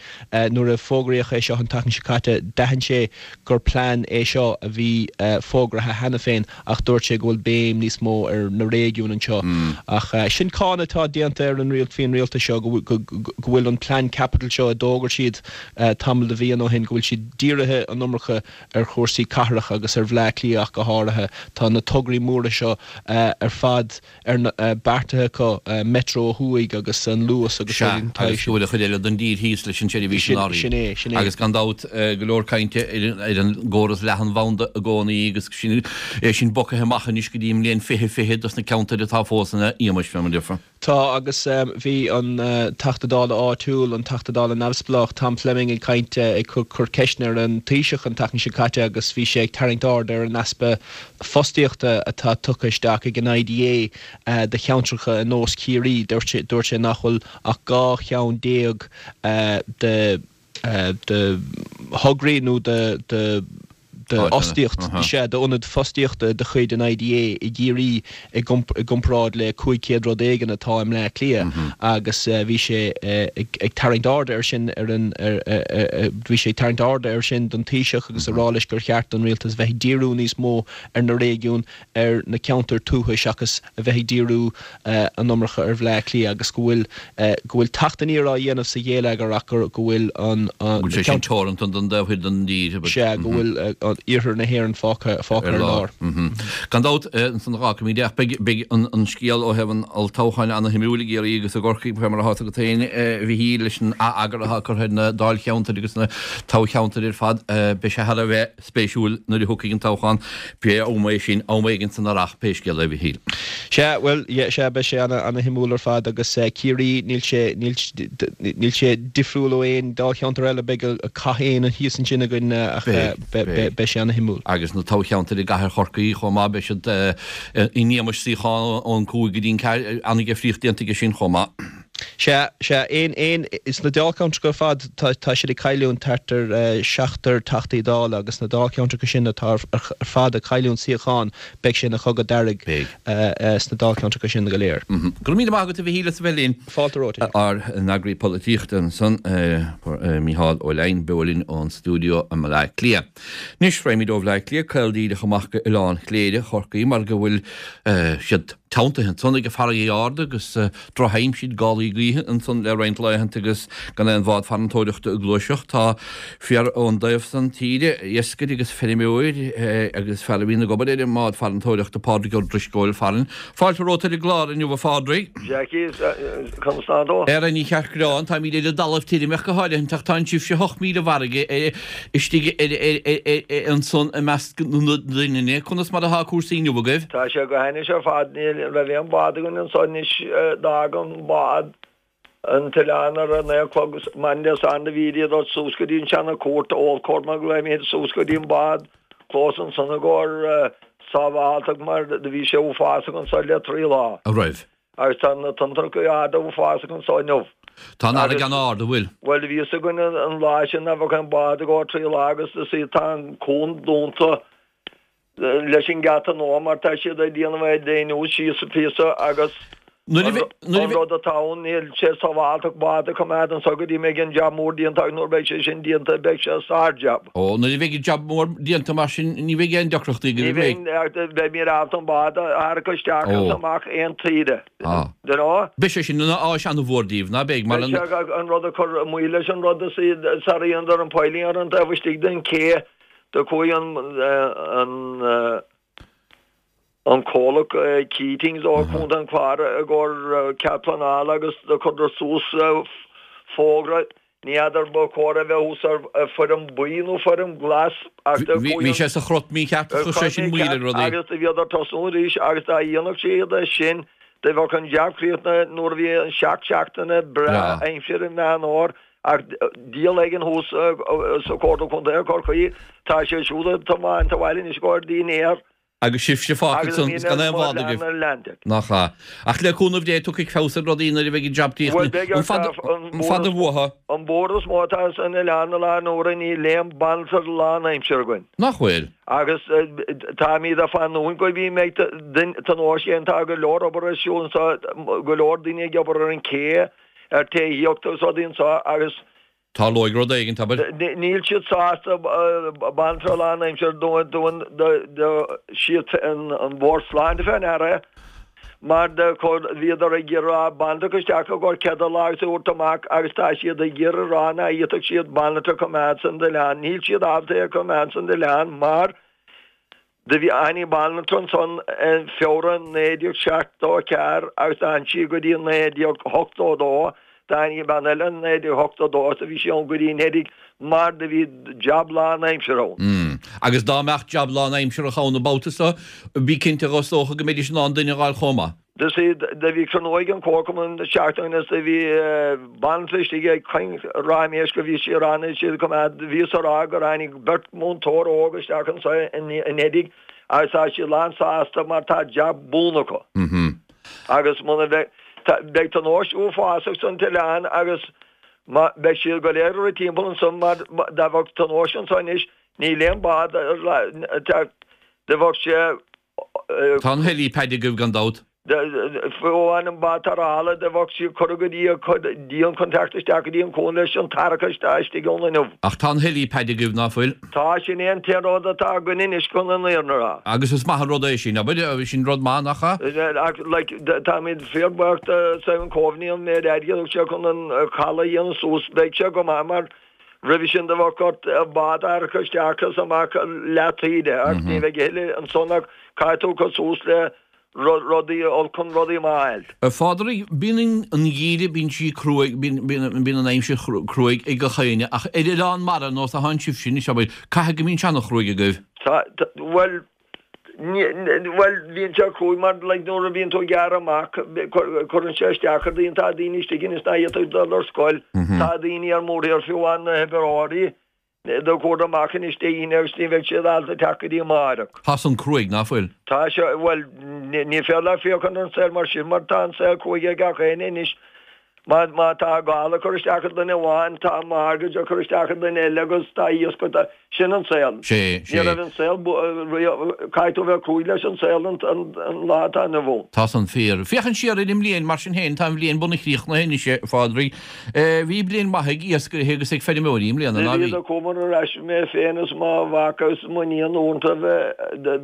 nuair a fógraíodh é seo an tseachtain seo caite. D'aithin sé gur plean é seo a bhí fógraithe cheana féin ach dúirt sé go bhfuil béim níos mó ar na réigiúin anseo. Ach sin cáineadh atá déanta ar an faoin rialtas seo go bhfuil an plean caipitil seo a d'fhógair siad tamall de mhíonna ó shin, go bhfuil siad dírithe an iomarca ar chúrsaí cathrach agus ar Bhleá Cliath ach go háirithe. Tá na tograí móra seo ar fad ar na, beartaithe acu, Metro ó thuaidh agus an Luas agus Sea, rudaí den tsaghas agus go bhfuil an chuid eile den dtír thíos leis an tseirbhís in áirithe. Sin é, sin é. Agus gan dabht, go leor cainte ar an gcóras leathanbhanda i gcónaí agus sin, é sin bogtha amach anois go dtí an mbliain 2020 dos na ceantair atá fós ina iamais, fé mar a déarfá. Tá, agus bhí an Teachta Dála áitiúil, an Teachta Dála neamhspleách, Tom Fleming ag caint, ag cur ceisteanna ar an Taoiseach an tseachtain seo caite agus bhí sé ag tarraingt aird ar an easpa fostaíochta atá tugtha isteach ag an IDA do cheantracha ar nós Chiarraí. Dúirt sé nach bhfuil ach 12 cheann de thograí nó de d'fhostaíocht, sea, d'ionaid fostaíochta de chuid an IDA i gCiarraí i gcomparáid le 500 rud éigin atá i mBleá Cliath agus bhí sé ag tarraingt airde air sin ar an, bhí sé ag tarraingt airde air sin don Taoiseach agus ag rá leis gur cheart don rialtas bheith ag díriú níos mó ar na réigiúin, ar na ceantair tuaithe seachas a bheith ag díriú an iomarca ar Bhleá Cliath agus go bhfuil go bhfuil teacht aniar á dhéanamh sa ghéilleagar ach go go bhfuil an Go bhfuil sé sin teoranta don taobh thoir den dtír. Sea, go bhfuil iarthar na hÉireann fágtha fágtha ar lár. Gan dabht, ansan a dh'fhágfaimid é ach beidh beidh an an scéal ó thaobh an olltoghcháin ana-shuimiúil i gCiarraí agus i gCorcaigh fé mar atá agat féin a Mhichíl leis an ath-eagar atá curtha ar na dáilcheantair agus na toghcheantair ar fad. Beidh sé thar a bheith spéisiúil nuair a thiocfaidh an toghchán, pé am é sin, am éigin san earrach, pé scéal é, a Mhichíl. Sea, bhuel, yeah, sea, beidh sé ana, ana-shuimiúil ar fad agus Ciarraí, níl sé, níl, níl sé difriúil ó aon dáilcheantar eile, beidh cath éan thíos ansin againn ach beidh, beidh. Beidh sé ana-shuimiúil. Agus na toghcheantair i gcathair Chorcaí chomh maith, beidh siad in éagmais suíochán ón 5 go dtí an 4, an-difríocht déanta aige sin chomh maith. Sea, sea, aon, aon, sna dáilcheantracha ar fad tá, tá siad ag cailliúint thart ar seachtar Teachtaí Dála agus sna dáilcheantracha sin atá ar fad ag cailliúint suíochán, beidh sé ina chogadh dearg sna dáilcheantracha sin go léir. Go raibh míle maith agat a Mhichíl as a bheith linn. Fáilte romhat. Ár n-eagraí polaitíochta ansan, Mícheál Ó Leidhin, beo linn ón stiúideo i mBaile Átha Cliath. Anois, raghaimid ó Bhaile Átha Cliath caol díreach amach go Oileán Chléire, Chorcaí, mar go bhfuil siad teanntaithe ansan ag an farraige ard agus drochaimsir, gálaí gaoithe ansan le roinnt laethanta agus gan aon bhád farantóireachta ag gluaiseacht. Tá fear ón dtaobh san tíre, iascaire agus feirmeoir agus fear a bhíonn ag obair ar an mbád farantóireachta, Pádraig Ó Drisceoil, farainn. Fáilte romhat ar an gclár inniu, a Phádraig. Jackie, conas tá tú? Ara ní cheart gearán, táimid ar an dtalamh tirim ach go háirithe ach tá sibhse 8 míle i bhfarraige istigh ansan i measc na doininne. Conas mar atá cúrsaí inniu agaibh? Tá sé go hainnis ar fad. Ní raibh aon bhád againn anso anois. D'fhág an bád an t-oileán ar a naoi a chlog maidin Dé Sathairn do bhí iad suas go dtí an Seana Cúirt, Old Court mar a ghlaoimid, suas go dtí an bád clós ansan i gcomhair sábháltacht mar do bhí sé uafásach anso le trí lá. A raibh? Agus tá na tonntracha arda uafásach anso inniu. Tá an fharraige an-ard, an bhfuil? Bhuel, bhí fhios againn an lá sin nach bheadh aon bád ag gabháil trí lá agus is í tá an cuan dúnta leis an ngeata nua mar tá siad ag déanamh é déanamh síos píosa agus an rud atá ann níl sé sábháltach bád a choimeád anso go dtí mbeidh an jab mór déanta agus nuair beidh sé sin déanta beidh sé sár-jab. Ó, nuair a bheidh an jab mór déanta mar sin ní bheidh aon deacrachtaí agaibh, an mbeidh? Ní bheidh, beimid ábalta an bád a tharrac isteach agus amach aon tsaoire. Do you know? Beidh sé sin ina áis an-mhór daoibh, ná beidh? Mar an. Beidh sé an rud a chur moill leis an rud is iad sar a dhéanadar an piling ar an taobh istigh den ché do chuaigh an an an comhlacht Keatings ó Chontae an Chláir i gcomhair cead pleanála agus do chuireadar suas fógra Ní fheadar ba chóir a bheith thuas ar foirm buí nó foirm glas ach do chuaigh Bhí sé sa chrot mícheart chuir sé sin moill ar rudaí. Agus do bhíodar tosnú arís agus dá dhéanfadh siad é sin do bheadh an jab críochnaithe nuair a bhí an seacht seachtaine breá aimsire i Meán Fhómhair ach diabhal éigin thuas sa Chomhairle Contae Chorcaí tá sé siúd ag tiomáint abhaile anois i gcomhair dinnéar Agus sibhse fágtha ansan is gan aon bhád agaibh. Nach ea. Ach le cúnamh Dé tiocfaidh feabhas ar rudaí nuair a bheidh an jab críochnaithe. An fada, an fada uathu? An buaireamh is mó atá san oileán i láthair na huaire níl aon banaltra lán-aimsire againn. Nach bhfuil? Agus táimid ag fanúint go dtí mbeidh tionóisc déanta. Tá go leor obair ar siúl anseo, go leor daoine ag obair ar an ché, ar tithíocht agus rudaí anseo agus Tarlóidh rud éigin, abair. Níl siad sásta banaltra lánaimseartha do siad an Bord Sláinte fé ndeara é mar do bhíodar ag iarraidh banaltra isteach i gcomhair cead lá agus a thabhairt amach agus tá siad ag iarraidh rá ná fhéadfadh siad banaltra a choimeád san oileán. Níl siad ábalta é a choimeád san oileán mar Do bhí tháinig banaltra ansan i Feabhra 1974 agus d'fhan sí go dtí 1982. Tháinig bean eile in 1982 agus do bhí sí ann go dtí anuraidh mar do bhí jab lán-aimseartha ann. Mm. Agus dá mbeadh jab lán-aimseartha ann an babhta so, bí cinnte dhe is dócha go mbeidís in ann duine a dh'fháil chomh maith. Do see, do bhí cruinniú ag an Chomharchumann seachtain ó shin is do bhí banaltra istigh ag caint ráiméis go bhí sí ag rá níl siad ag coimeád, bhíos ag rá gur tháinig beirt múinteoir óg isteach anseo anuraidh agus tá siad lán sásta mar tá jab buan acu. Agus muna bheidh, beidh tionóisc uafásach san t-oileán agus má, beidh siad go léir ag rith timpeall ansan mar dá bheadh tionóisc anseo anois níl aon bád ar, do bheadh sé Tá an helipad agaibh gan dabht. Fiú amháin an bád tarrthála do bheadh sí curtha go dtí an dian chun teacht isteach go dtí an cuan leis an tarrac istigh ann inniu. Ach tá an helipad agaibh, ná fuil? Tá, sin é an t-aon rud atá againn anois chun an fhírinne a rá. Agus is maith an rud é sin, abair, sin rud maith, nach ea? Ach, like, táimid fíorbhuíoch de Simon Coveney an méid airgid a thug sé chun an caladh a dhéanamh suas. Beidh sé go maith mar Roimhe sin do bheadh ort bád a tharrac isteach is amach leath taoide ach ní bheidh a thuilleadh ansan ach caithfidh tú cur suas le rudaí olc chun rudaí maith a fháil. A Phádraig, bíonn an geimhreadh, bíonn sí cruaidh, bíonn an aimsir cruaidh ag gach éinne ach ar oileán mara ar nós atánn sibhse anois, abair, caithfidh go mbíonn sé ana-chruaidh agaibh? Tá, bhuel, Bhuel, bíonn sé cruaidh mar like nuair a bhíonn tú ag gearradh amach cuireann sé isteach ar daoine, tá daoine istigh anois nach bhféadfadh dul ar scoil, tá daoine ar mórthír fiú amháin na hoibreoirí. Do chuadar amach anois Dé hAoine agus ní bheidh siad ábalta teacht go dtí amáireach. Tá san cruaidh, ná fuil? Tá sé, bhuel, ní féidir leat féachaint ar an saol mar sin mar tá an saol cruaidh ag gach éinne anois. Má, má tá gála ag cur isteach ar dhuine amháin, tá mortgage ag cur isteach ar dhuine eile agus tá a fhios agat, sin an saol. Sé, sé. Ní raibh an saol, caithfidh tú a bheith cruaidh leis an saol an, an, an lá atá inniu ann. Tá san fíor. Féachaint siar ar an mbliain, mar sin féin, tá an bhliain bunaidh críochnaithe anois, a Phádraig. Bhí bliain mhaith ag iascairithe agus ag feirmeoirí i mbliana, ná bhí? Do chuamar ar ais, mé féin is mo mhac agus m'iníon uaireanta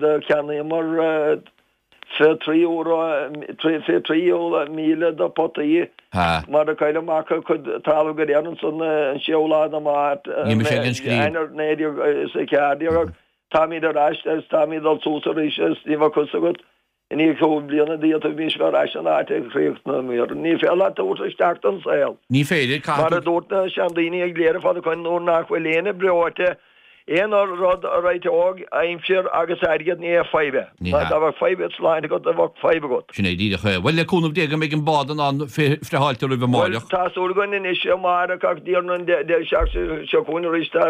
do cheannaíomar €23, 23,000 de potaí mar do cailleadh amach a cuid talamh go léir ansan an séú lá de Mháirt, Eanáir 1914 ach táimid ar ais agus táimid ag dul suas arís agus ní bheadh a fhios agat I ndiaidh chúig bliana d'fhéadfaimis bheith ar ais san áit a chríochnaíomar. Ní féidir leat tabhairt isteach don saol. Ní féidir, caithfidh Mar a dúirt na seandaoine ag Cléire fad ó shoin nuair nach bhfuil éinne breoite, aon rud a réiteodh aimsir agus airgead ní hé fadhb é. Ní Má hea. dá bheadh fadhb agat sláinte agat, bheadh fadhb agat. Sin é díreach é. Bhuel, le cúnamh Dé go mbeidh an bád in ann friotháilte roimh Bhuel, amáireach. tá súil againn anois amáireach ach d'iarrainn an deireadh seachtaine seo chugainn arís tá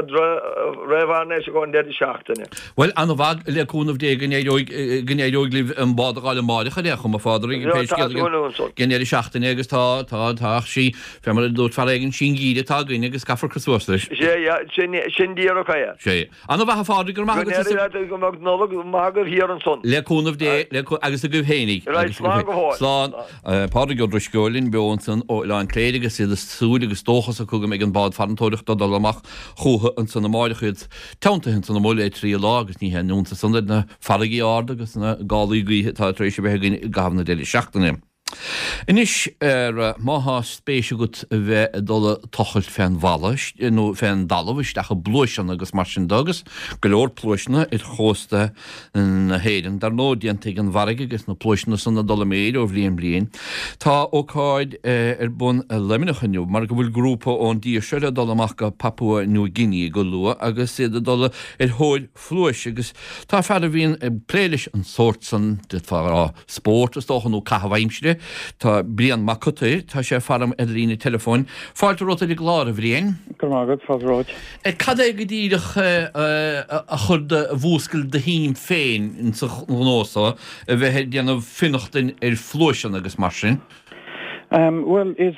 réamhaisnéis againn deireadh seachtaine. Bhuel, an-mhaith, le cúnamh Dé go n-éireoidh, go n-éireoidh libh an bád a dh'fháil amáireach ar aon chuma, a Phádraig, pé scéal ag an deireadh seachtaine agus tá, tá, tá, ach sí, fé mar a dúirt fear éigin, sí an geimhreadh atá againn agus caithfear cur suas leis. Sé, yeah, sin, sin díreach é. Sé. An-mhaith a Phádraig, go raibh maith agat Go n-éirí leat, go mbeadh Nollaig mhaith agaibh thiar ansan. Le cúnamh Dé, le, agus agaibh fhéinig. Right, slán go fóill. Slán. Pádraig Ó Drisceoil linn beo ansan ó Oileán Cléire agus iad ag súil agus dóchas acu go mbeidh an bád farantóireachta ag dul amach chúthu ansan amáireach iad teanntaithe ansan amuigh le trí lá agus ní haon iontas san ar na farraigí arda agus na gálaí gaoithe atá tar éis a bheith againn i gcaitheamh na deireadh seachtaine. Anois, má thá spéis agat a bheith ag dul ag tochailt fén bhalla nó fén dtalamh isteach i bpluaiseanna agus mar sin de agus go leor pluaiseanna ar chósta na hÉireann, dar ndóigh, déanta ag an bhfarraige agus na pluaiseanna san ag dul i méid ó bhliain bliain. Tá ócáid ar bun i Luimneach inniu mar go bhfuil grúpa ón dtír seo le dul amach go Papua Nua Guinea go luath agus iad ag dul ar thóir phluais agus tá fear a bhíonn ag plé leis an sórt san, d'fhéadfá a rá spórt is dócha nó caitheamh aimsire, tá Brian Mac Cotair, tá sé faram ar líne teileafóin. Fáilte romhat ar an gclár, a Bhriain. Go raibh maith agat, fáilte romhat. Cad é go díreach a chuir do, a mhúscail do shuim féin insa ghnó so, a bheith ag déanamh fionnachtain ar phluaiseanna agus mar sin? Bhuel, is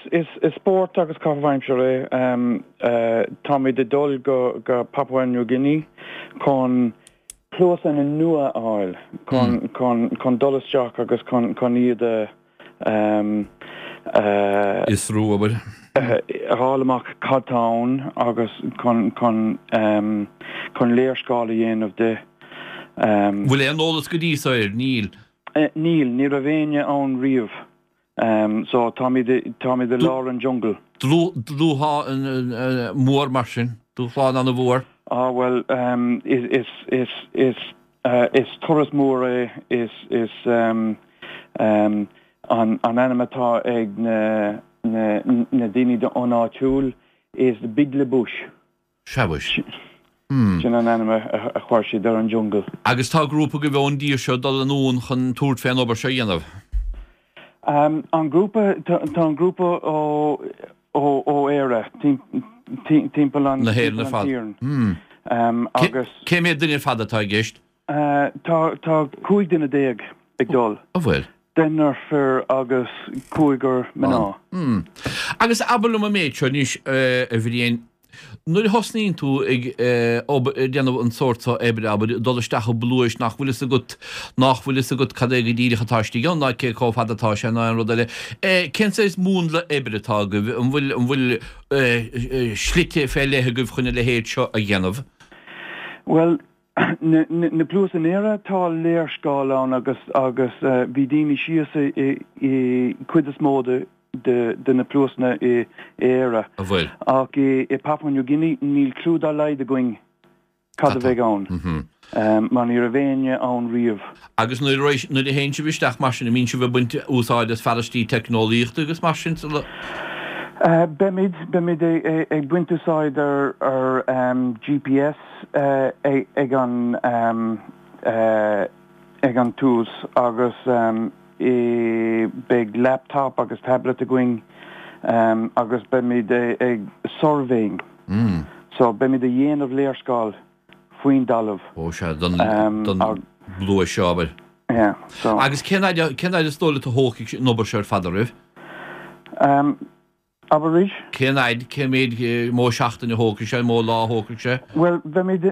spórt agus caitheamh aimsire é. Táimid ag dul go Papua New Guinea chun pluaiseanna nua a fháil, chun dul isteach agus chun iad a Fhiosrú, abair. a fháil amach cad tá ann agus chun chun léarscáil a dhéanamh de. Bhfuil aon eolas go dtí so air? Níl. Níl, ní raibh éinne ann riamh. So táimid táimid i lár an jungle. Dúshlán mór mar sin. Dúshlán an-mhór. Á bhuel, is is is is turas mór é, is is an an ainm atá ag na na na daoine an áitiúil is the big bush. Sea mhuis. Sin an ainm a chuir siad ar an jungle. Agus tá grúpa agaibh ón dtír seo ag dul anonn chun tabhairt fén obair seo a dhéanamh? An grúpa, tá an grúpa ó ó Éire, timpeall an Na hÉireann ar fad. Agus. Cé mhéad duine ar fad atá i gceist? Tá 15 duine ag dul. An bhfuil? Deichniúr fir agus cúigear mná. Agus abair liom an méid seo anois, a Bhriain, nuair a thosnaíonn tú ag obair, ag déanamh an sórt seo oibre, abair, dul isteach i bpluais nach bhfuil fhios agat, nach bhfuil fhios agat cad é go díreach atá istigh ann ná cé chomh fada atá sé ná aon rud eile, cén saghas múnla oibre atá agaibh? An bhfuil, an bhfuil slite fé leith agaibh chun a leithéid seo a dhéanamh? Bhuel, Na pluais in Éire, tá léarscáil ann agus agus bhí daoine síos i i cuid is mó de de na pluaiseanna i Éire. An bhfuil? Ach i Papua New Guinea níl clue dá laghad againn cad a bheidh ann mar ní raibh éinne ann riamh. Agus nuair a nuair a théann sibh isteach mar sin, an mbíonn sibh ag baint úsáid as fearaistí teicneolaíochta agus mar sin sula. Beimid, beimid ag baint úsáid ar ar GPS ag an ag an tús agus beidh laptop agus tablet againn agus beimid ag surveying. So beimid a dhéanamh léarscáil faoin dtalamh. Ó sea, don bpluais seo, abair. Yeah, so. Agus cén fhad, cén fhad is dóigh leat a thógfaidh an obair seo ar fad oraibh? Abair arís? Cén fhaid, cé mhéad, mó seachtain a thógfaidh sé, mó lá a thógfaidh sé? Bhuel, beimid,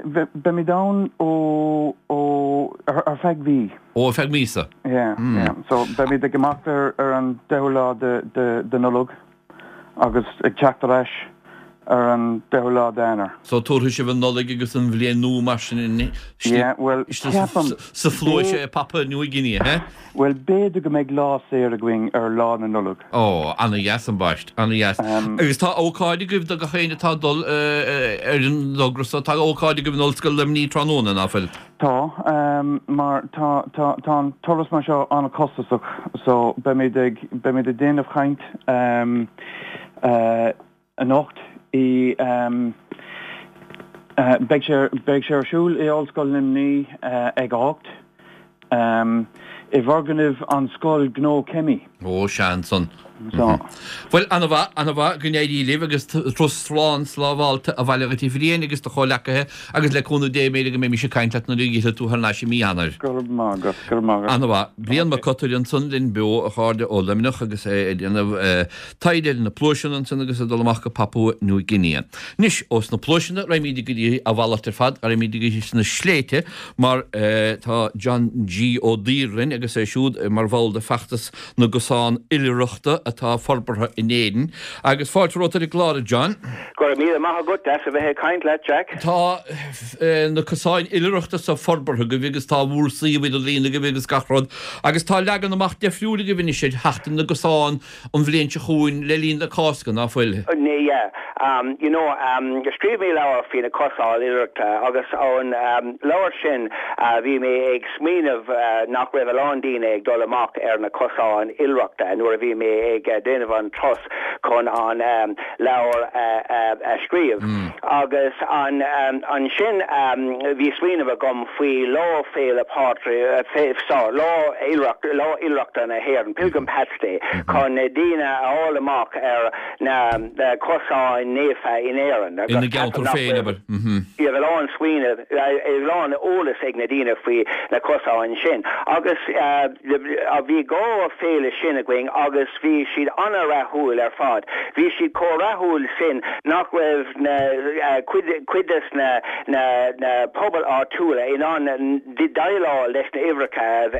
beimid ann ó, ó, ar feadh mhí. Ó, ar feadh míosa? Yeah, yeah. So, beimid ag imeacht ar, ar an deichiú lá de, de, de Nollaig agus ag teacht ar ais ar an deichiú lá d'Eanáir. So, tabharfaidh sibh an Nollaig agus an Bhliain Nua mar sin in, Yeah, bhuel, ceapaim, sa phluais i Papua New Guinea, he? Bhuel, b'fhéidir go mbeidh lá saor againn ar Lá na Nollag. Ó, ana-dheas ambaist, ana-dheas. Agus tá ócáid agaibh do gach éinne atá ag dul ar an dtogra so, tá ócáid agaibh in Ollscoil Luimnigh tráthnóna, ná fuil? Tá, mar tá, tá, tá an turas mar seo an-chostasach so beimid ag, beimid ag déanamh chaint anocht i, beidh sé, beidh sé ar siúl i Ollscoil Luimnigh ag a hocht, i bhfoirgneamh an Scoil Gnó Cemmi. Ó, sea, ansan. So. Bhuel, ana-mhaith, ana-mhaith, go n-éirí libh agus turas slán sábhálta abhaile dhuit a Bhriain agus do chomhleacaithe agus le cúnamh Dé b'fhéidir go mbeimis ag caint leat nuair a fhillfidh tú thar n-ais i mí Eanáir. Go raibh maith agat, go raibh maith agat. Ana-mhaith. Brian Mac Cotair ansan linn beo, a chairde, ó Luimneach agus é ag déanamh taighde ar na pluaiseanna ansin agus ag dul amach go Papua New Guinea. Anois, ós na pluaiseanna, raghaimid go dtí a mhalairt ar fad, raghaimid go dtí sna sléibhte mar tá John G. Ó Duibhir linn agus é siúd mar bhall de Feachtas na gCosán Oilithreachta atá forbartha in Éirinn. Agus fáilte romhat ar an gclár, a John. Go raibh míle maith agat, deas a bheith ag caint leat, Jack. Tá na cosáin oilithreachta so forbartha agaibh agus tá bhur suíomh idirlín agaibh agus gach rud agus tá leagan amach deifriúil agaibh anois ar Sheachtain na gCosán an bhliain seo chugainn le linn na Cásca, ná fuil? Yeah. You know, scríobh mé leabhar faoi na cosáin oilithreachta agus ón leabhar sin bhí mé ag smaoineamh nach raibh a lán daoine ag dul amach ar na cosáin oilithreachta nuair a bhí mé ag déanamh an turas chun an leabhar a scríobh. Agus ansin bhí smaoineamh agam faoi Lá Féile Pádraig, sorry, Lá Lá Oilithreachta na hÉireann, Pilgrim Paths Day, chun daoine a fháil amach ar na cosáin naofa in Éirinn. Ina gceantar féin, abair. Bhí a lán smaoineamh, a lán eolas ag na daoine faoi na cosáin sin. Agus bhí 2 féile sin againn agus bhí siad an-rathúil ar fad. Bhí siad chomh rathúil sin nach raibh na cuid cuid des na na na pobail áitiúla in ann déileáil leis na uimhreacha a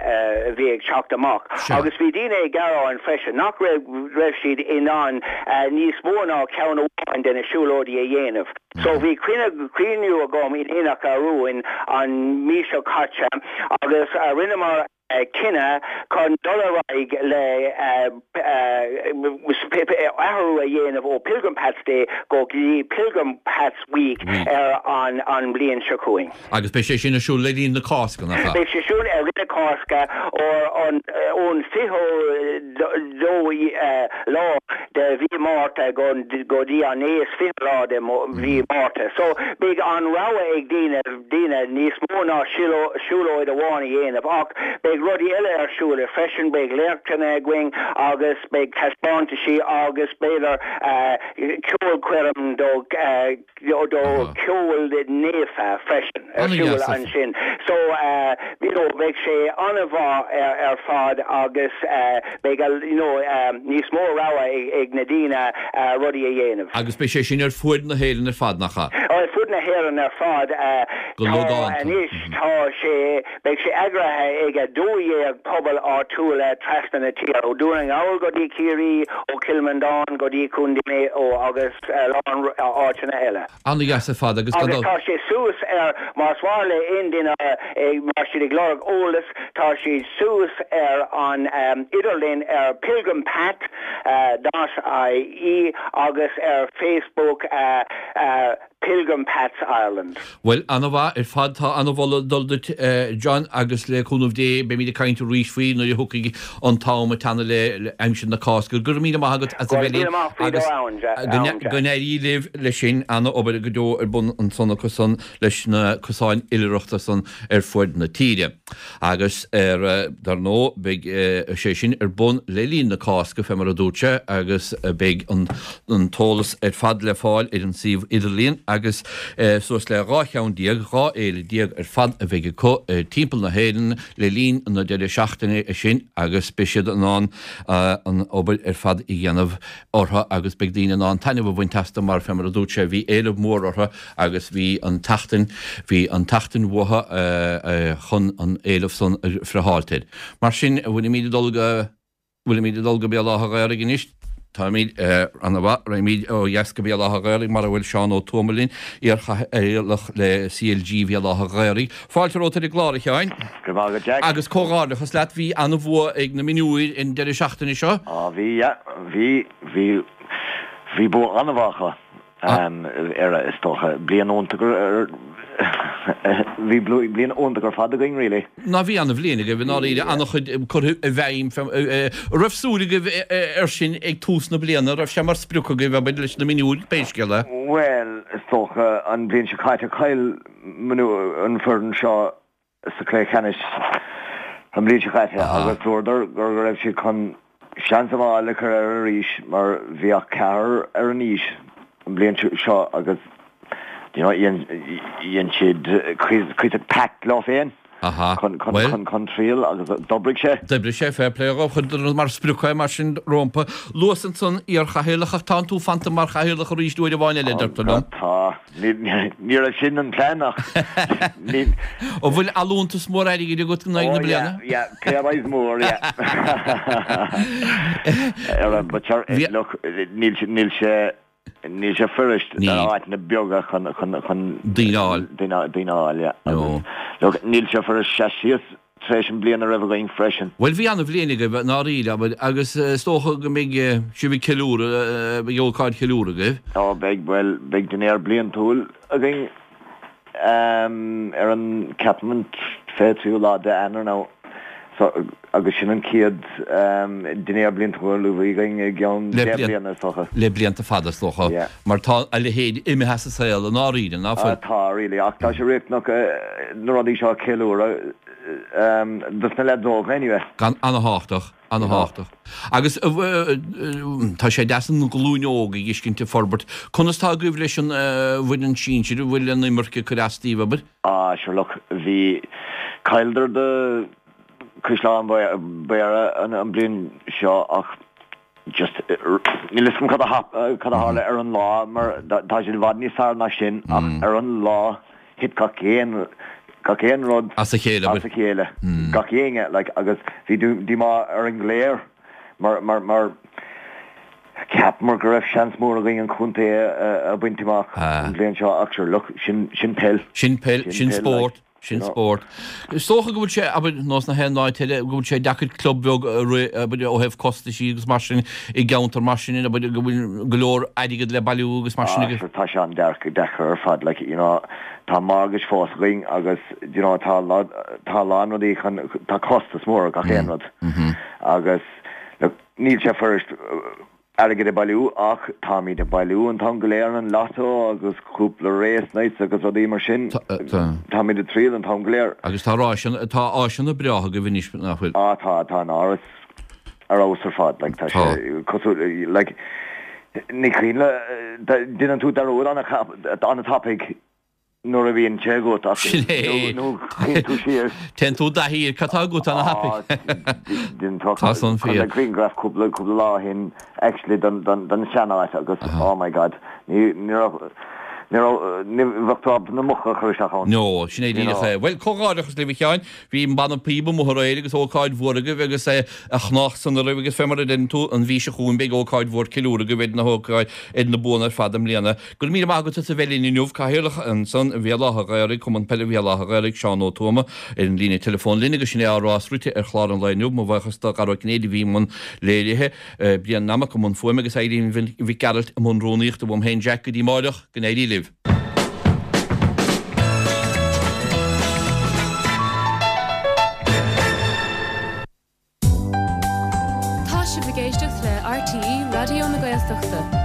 bhí ag teacht amach. Agus bhí daoine ag gearáin freisin nach raibh raibh siad in ann níos mó ná ceann amháin de na siúlóidí a dhéanamh. So bhí cruinniú agam in Aonach Mhumhan an mí seo caite agus rinneamar cinneadh chun dul ar aghaidh le athrú a dhéanamh ó Pilgrim Paths Day go dtí Pilgrim Paths Week ar an mbliain seo chugainn. Agus beidh sé sin ar siúl le linn na Cásca, nach ea? Beidh sé siúl i rith na Cásca ón 22 lá de mhí Márta go dtí an 29ú lá de mhí Márta. So beidh an rogha ag daoine daoine níos mó ná siúlóid amháin a dhéanamh ach beidh rudaí eile ar siúl freisin, beidh léachtanna againn agus beidh taispeántaisí agus b'fhéidir ceolchoirm do do cheol naofa freisin ar siúl ansin. So you know beidh sé an-mhaith ar fad agus beidh you know níos mó rogha ag na daoine rudaí a dhéanamh. Agus beidh sé sin ar fuaid na hÉireann ar fad, nach ea? Ar fud na hÉireann ar fad. Go logánta. Anois tá sé, beidh sé eagraithe ag 12 pobal áitiúla trasna na tíre, ó Dún na nGall go dtí Ciarraí, ó Chill Mhantáin go dtí Contae Mhaigh Eo agus a lán áiteanna eile. An-dheas ar fad agus gan Agus tá sé suas ar, más mhaith le aon duine, má tá siad ag lorg eolas, tá siad suas ar an idirlíon ar pilgrimpath dot ie agus ar Facebook Pilgrim Paths Ireland. Bhuel, an-mhaith ar fad. Tá an-mholadh ag dul duit, John, agus le cúnamh Dé beimid ag caint arís faoi nuair a thiocfaidh an t-am ag teannadh le aimsir na Cásca. Go raibh míle maith agat as a bheith linn agus go n-éirí libh leis sin. An-obair go deo ar bun ansan acu san leis na cosáin oilithreachta san ar fuaid na tíre. Agus ar, dar ndóigh, beidh sé sin ar bun le linn na Cásca, fé mar a dúirt sé, agus beidh an t-eolas ar fad le fáil ar an suíomh idirlíon. agus suas le 12 cheann, 12 fhéile ar fad a bheidh acu timpeall na hÉireann le linn na deireadh seachtaine sin agus beidh siad in ann an obair ar fad a dhéanamh orthu agus beidh daoine in ann taitneamh a bhaint astu mar, fé mar a dúirt sé, bhí éileamh mór orthu agus bhí an tseachtain, bhí an tseachtain uathu chun an éileamh san a friotháilt air. Mar sin, bhfuilimid ag dul go, bhfuilimid ag dul go Béal Átha Ghaorthaidh anois? Táimid ana mhaith, raghaimid ó dheas go Béal Átha Ghaorthaidh mar a bhfuil Seán Ó Tuama linn, iar-chathaoirleach le CLG Bhéal Átha Ghaorthaidh. Fáilte romhat ar an gclár, a Sheáin. Go raibh maith agat, Jack. Agus comhghairdeachas leat, bhí an-bhua ag na mionúir an deireadh seachtaine seo. Á bhí, yeah, bhí, bhí, bhí bua an-mhaith acu ar, is dócha, bliain iontach ar, bhí bliain iontach ar fad againn, really. Ná bhí an-bhliain agaibh i ndáiríre, an-chuid curtha i bhfeidhm, an raibh súil agaibh air sin ag tús na bliana, an raibh sé mar sprioc agaibh, abair, leis na mionúir, pé scéal é? Bhuel, is dócha, an bhliain seo caite, chaill an foireann seo sa chluiche ceannais an bhliain seo caite agus dúradar go raibh siad chun seans a fháil le cur air arís mar bhí ach ceathrar ar an fhís an bhliain seo agus you know dhein siad cuid pact leo féin chun triail agus d'oibrigh sé. D'oibrigh sé, fair play dhóibh, chuireadar mar sprioc é mar sin rompu. Luas ansan iar-chathaoirleach ach tánn tú fanta mar chathaoirleach arís uair amháin eile, deirtear liom. Tá. Ní raibh sin an plean ach ní. An bhfuil allúntas mór airgid agat in aghaidh na bliana? Oh yeah, yeah, pay rise mór, yeah. But sure, look, níl níl sé níl sé fuirist na áiteanna beaga chun chun chun daoine a fháil. Daoine daoine a fháil, yeah. No. Look, níl sé fuirist seas síos tar éis an bliain a raibh againn freisin. Bhuel, bhí an-bhliain agaibh, i ndáiríre, abair, agus is dócha go mbeidh sibh ag ceiliúradh, beidh ócáid cheiliúradh agaibh. Ó, beidh, bhuel, beidh dinnéar bliantúil againn ar an, ceapaim an 23ú lá de Eanáir now, so, agus sin an chéad dinnéar bliantúil a bhí againn i gceann 10 bliana, is dócha. Le blianta fada, is dócha, Yeah. mar tá a leithéid imithe as an saol, i ndáiríre, ná fuil? Tá, really, ach tá sé riachtanach na rudaí seo a cheiliúradh dos na leaids óga, anyway. Gan, ana-thábhachtach, ana-thábhachtach. Agus tá sé deas an ghlúin óg a fheiscint ag forbairt. Conas tá agaibh leis an bhfoireann sinsir, an bhfuil an imirce ag cur as daoibh, abair? Ah, sure, look, bhí, chailleadar do Caisleán Bhéarra an bhliain seo ach just níl fhios agam cad a cad a tharla ar an lá mar tá siad i bhfad níos fearr ná sin ach ar an lá thit gach aon gach aon rud as a chéile as a chéile gach éinne like agus bhí díomá ar an gcléir mar mar mar cheapamar go raibh seans mór againn an contae a bhaint amach an bhliain seo ach sure look sin sin peil sin peil sin spórt. Sin spórt. Is dócha go bhfuil sé, abair, nós na haon áit eile, go bhfuil sé deacair club bheag a rith, abair, ó thaobh costaisí agus mar sin, i gceantar mar sin, abair, go bhfuil go leor airgead le bailiú agus mar sin agus. Ah, sure, tá sé an-deacair ar fad, like, you know, tá mortgage fós againn agus, you know, tá tá a lán rudaí chun, tá costas mór ar gach aon rud agus, look, níl sé fuirist, airgead a bailiú ach táimid ag bailiú an t-am go léir an lotto agus cúpla race nights agus rudaí mar sin. Táimid ag triail an t-am go léir. Agus tá ráiseanna, tá áiseanna breátha agaibh anois, nach bhfuil? Á tá, tá an áras ar fheabhas ar fad, like tá sé cosúil, like ní cuimhin le, déanann tú dearúd an-tapaidh. nuair a bhíonn sé agat ach Sin é. nó téann tú siar. Téann tú i dtaithí ar cad tá agat an-thapaidh. Tá san fíor. Chonaic grianghraf cúpla cúpla lá ó shin actually den den den sean-áit agus oh my god ní ní raibh ní raibh ní bheadh tú ábalta na muca a chur isteach ann. No, sin é díreach é. Bhuel, comhghairdeachas libh a Sheáin. Bhí an banna píob amuigh aréir agus ócáid mhór agaibh agus a chneá san oraibh agus fé mar a deireann tú, an mhí seo chugainn beidh ócáid mhór ceiliúradh agaibh ar na hócáid ar na buanna ar fad i mbliana. Go raibh míle maith agat as a bheith linn inniu, Cathaoirleach ansan Bhéal Átha Ghaorthaidh, Cumann Peile Bhéal Átha Ghaorthaidh, Seán Ó Tuama, ar an líne teileafóin linn agus sin é ár rás rite ar chlár an lae inniu. Mo bhuíochas do Dhara Ó Cinnéide a bhí i mbun léirithe, Brian Nammock i mbun fuaime agus Eileen Mhic Gearailt i mbun rúnaíochta. Uaim féin Jack go dtí amáireach, go n-éirí libh. Tá sibh ag éisteacht le RTÉ Raidió na Gaeltachta.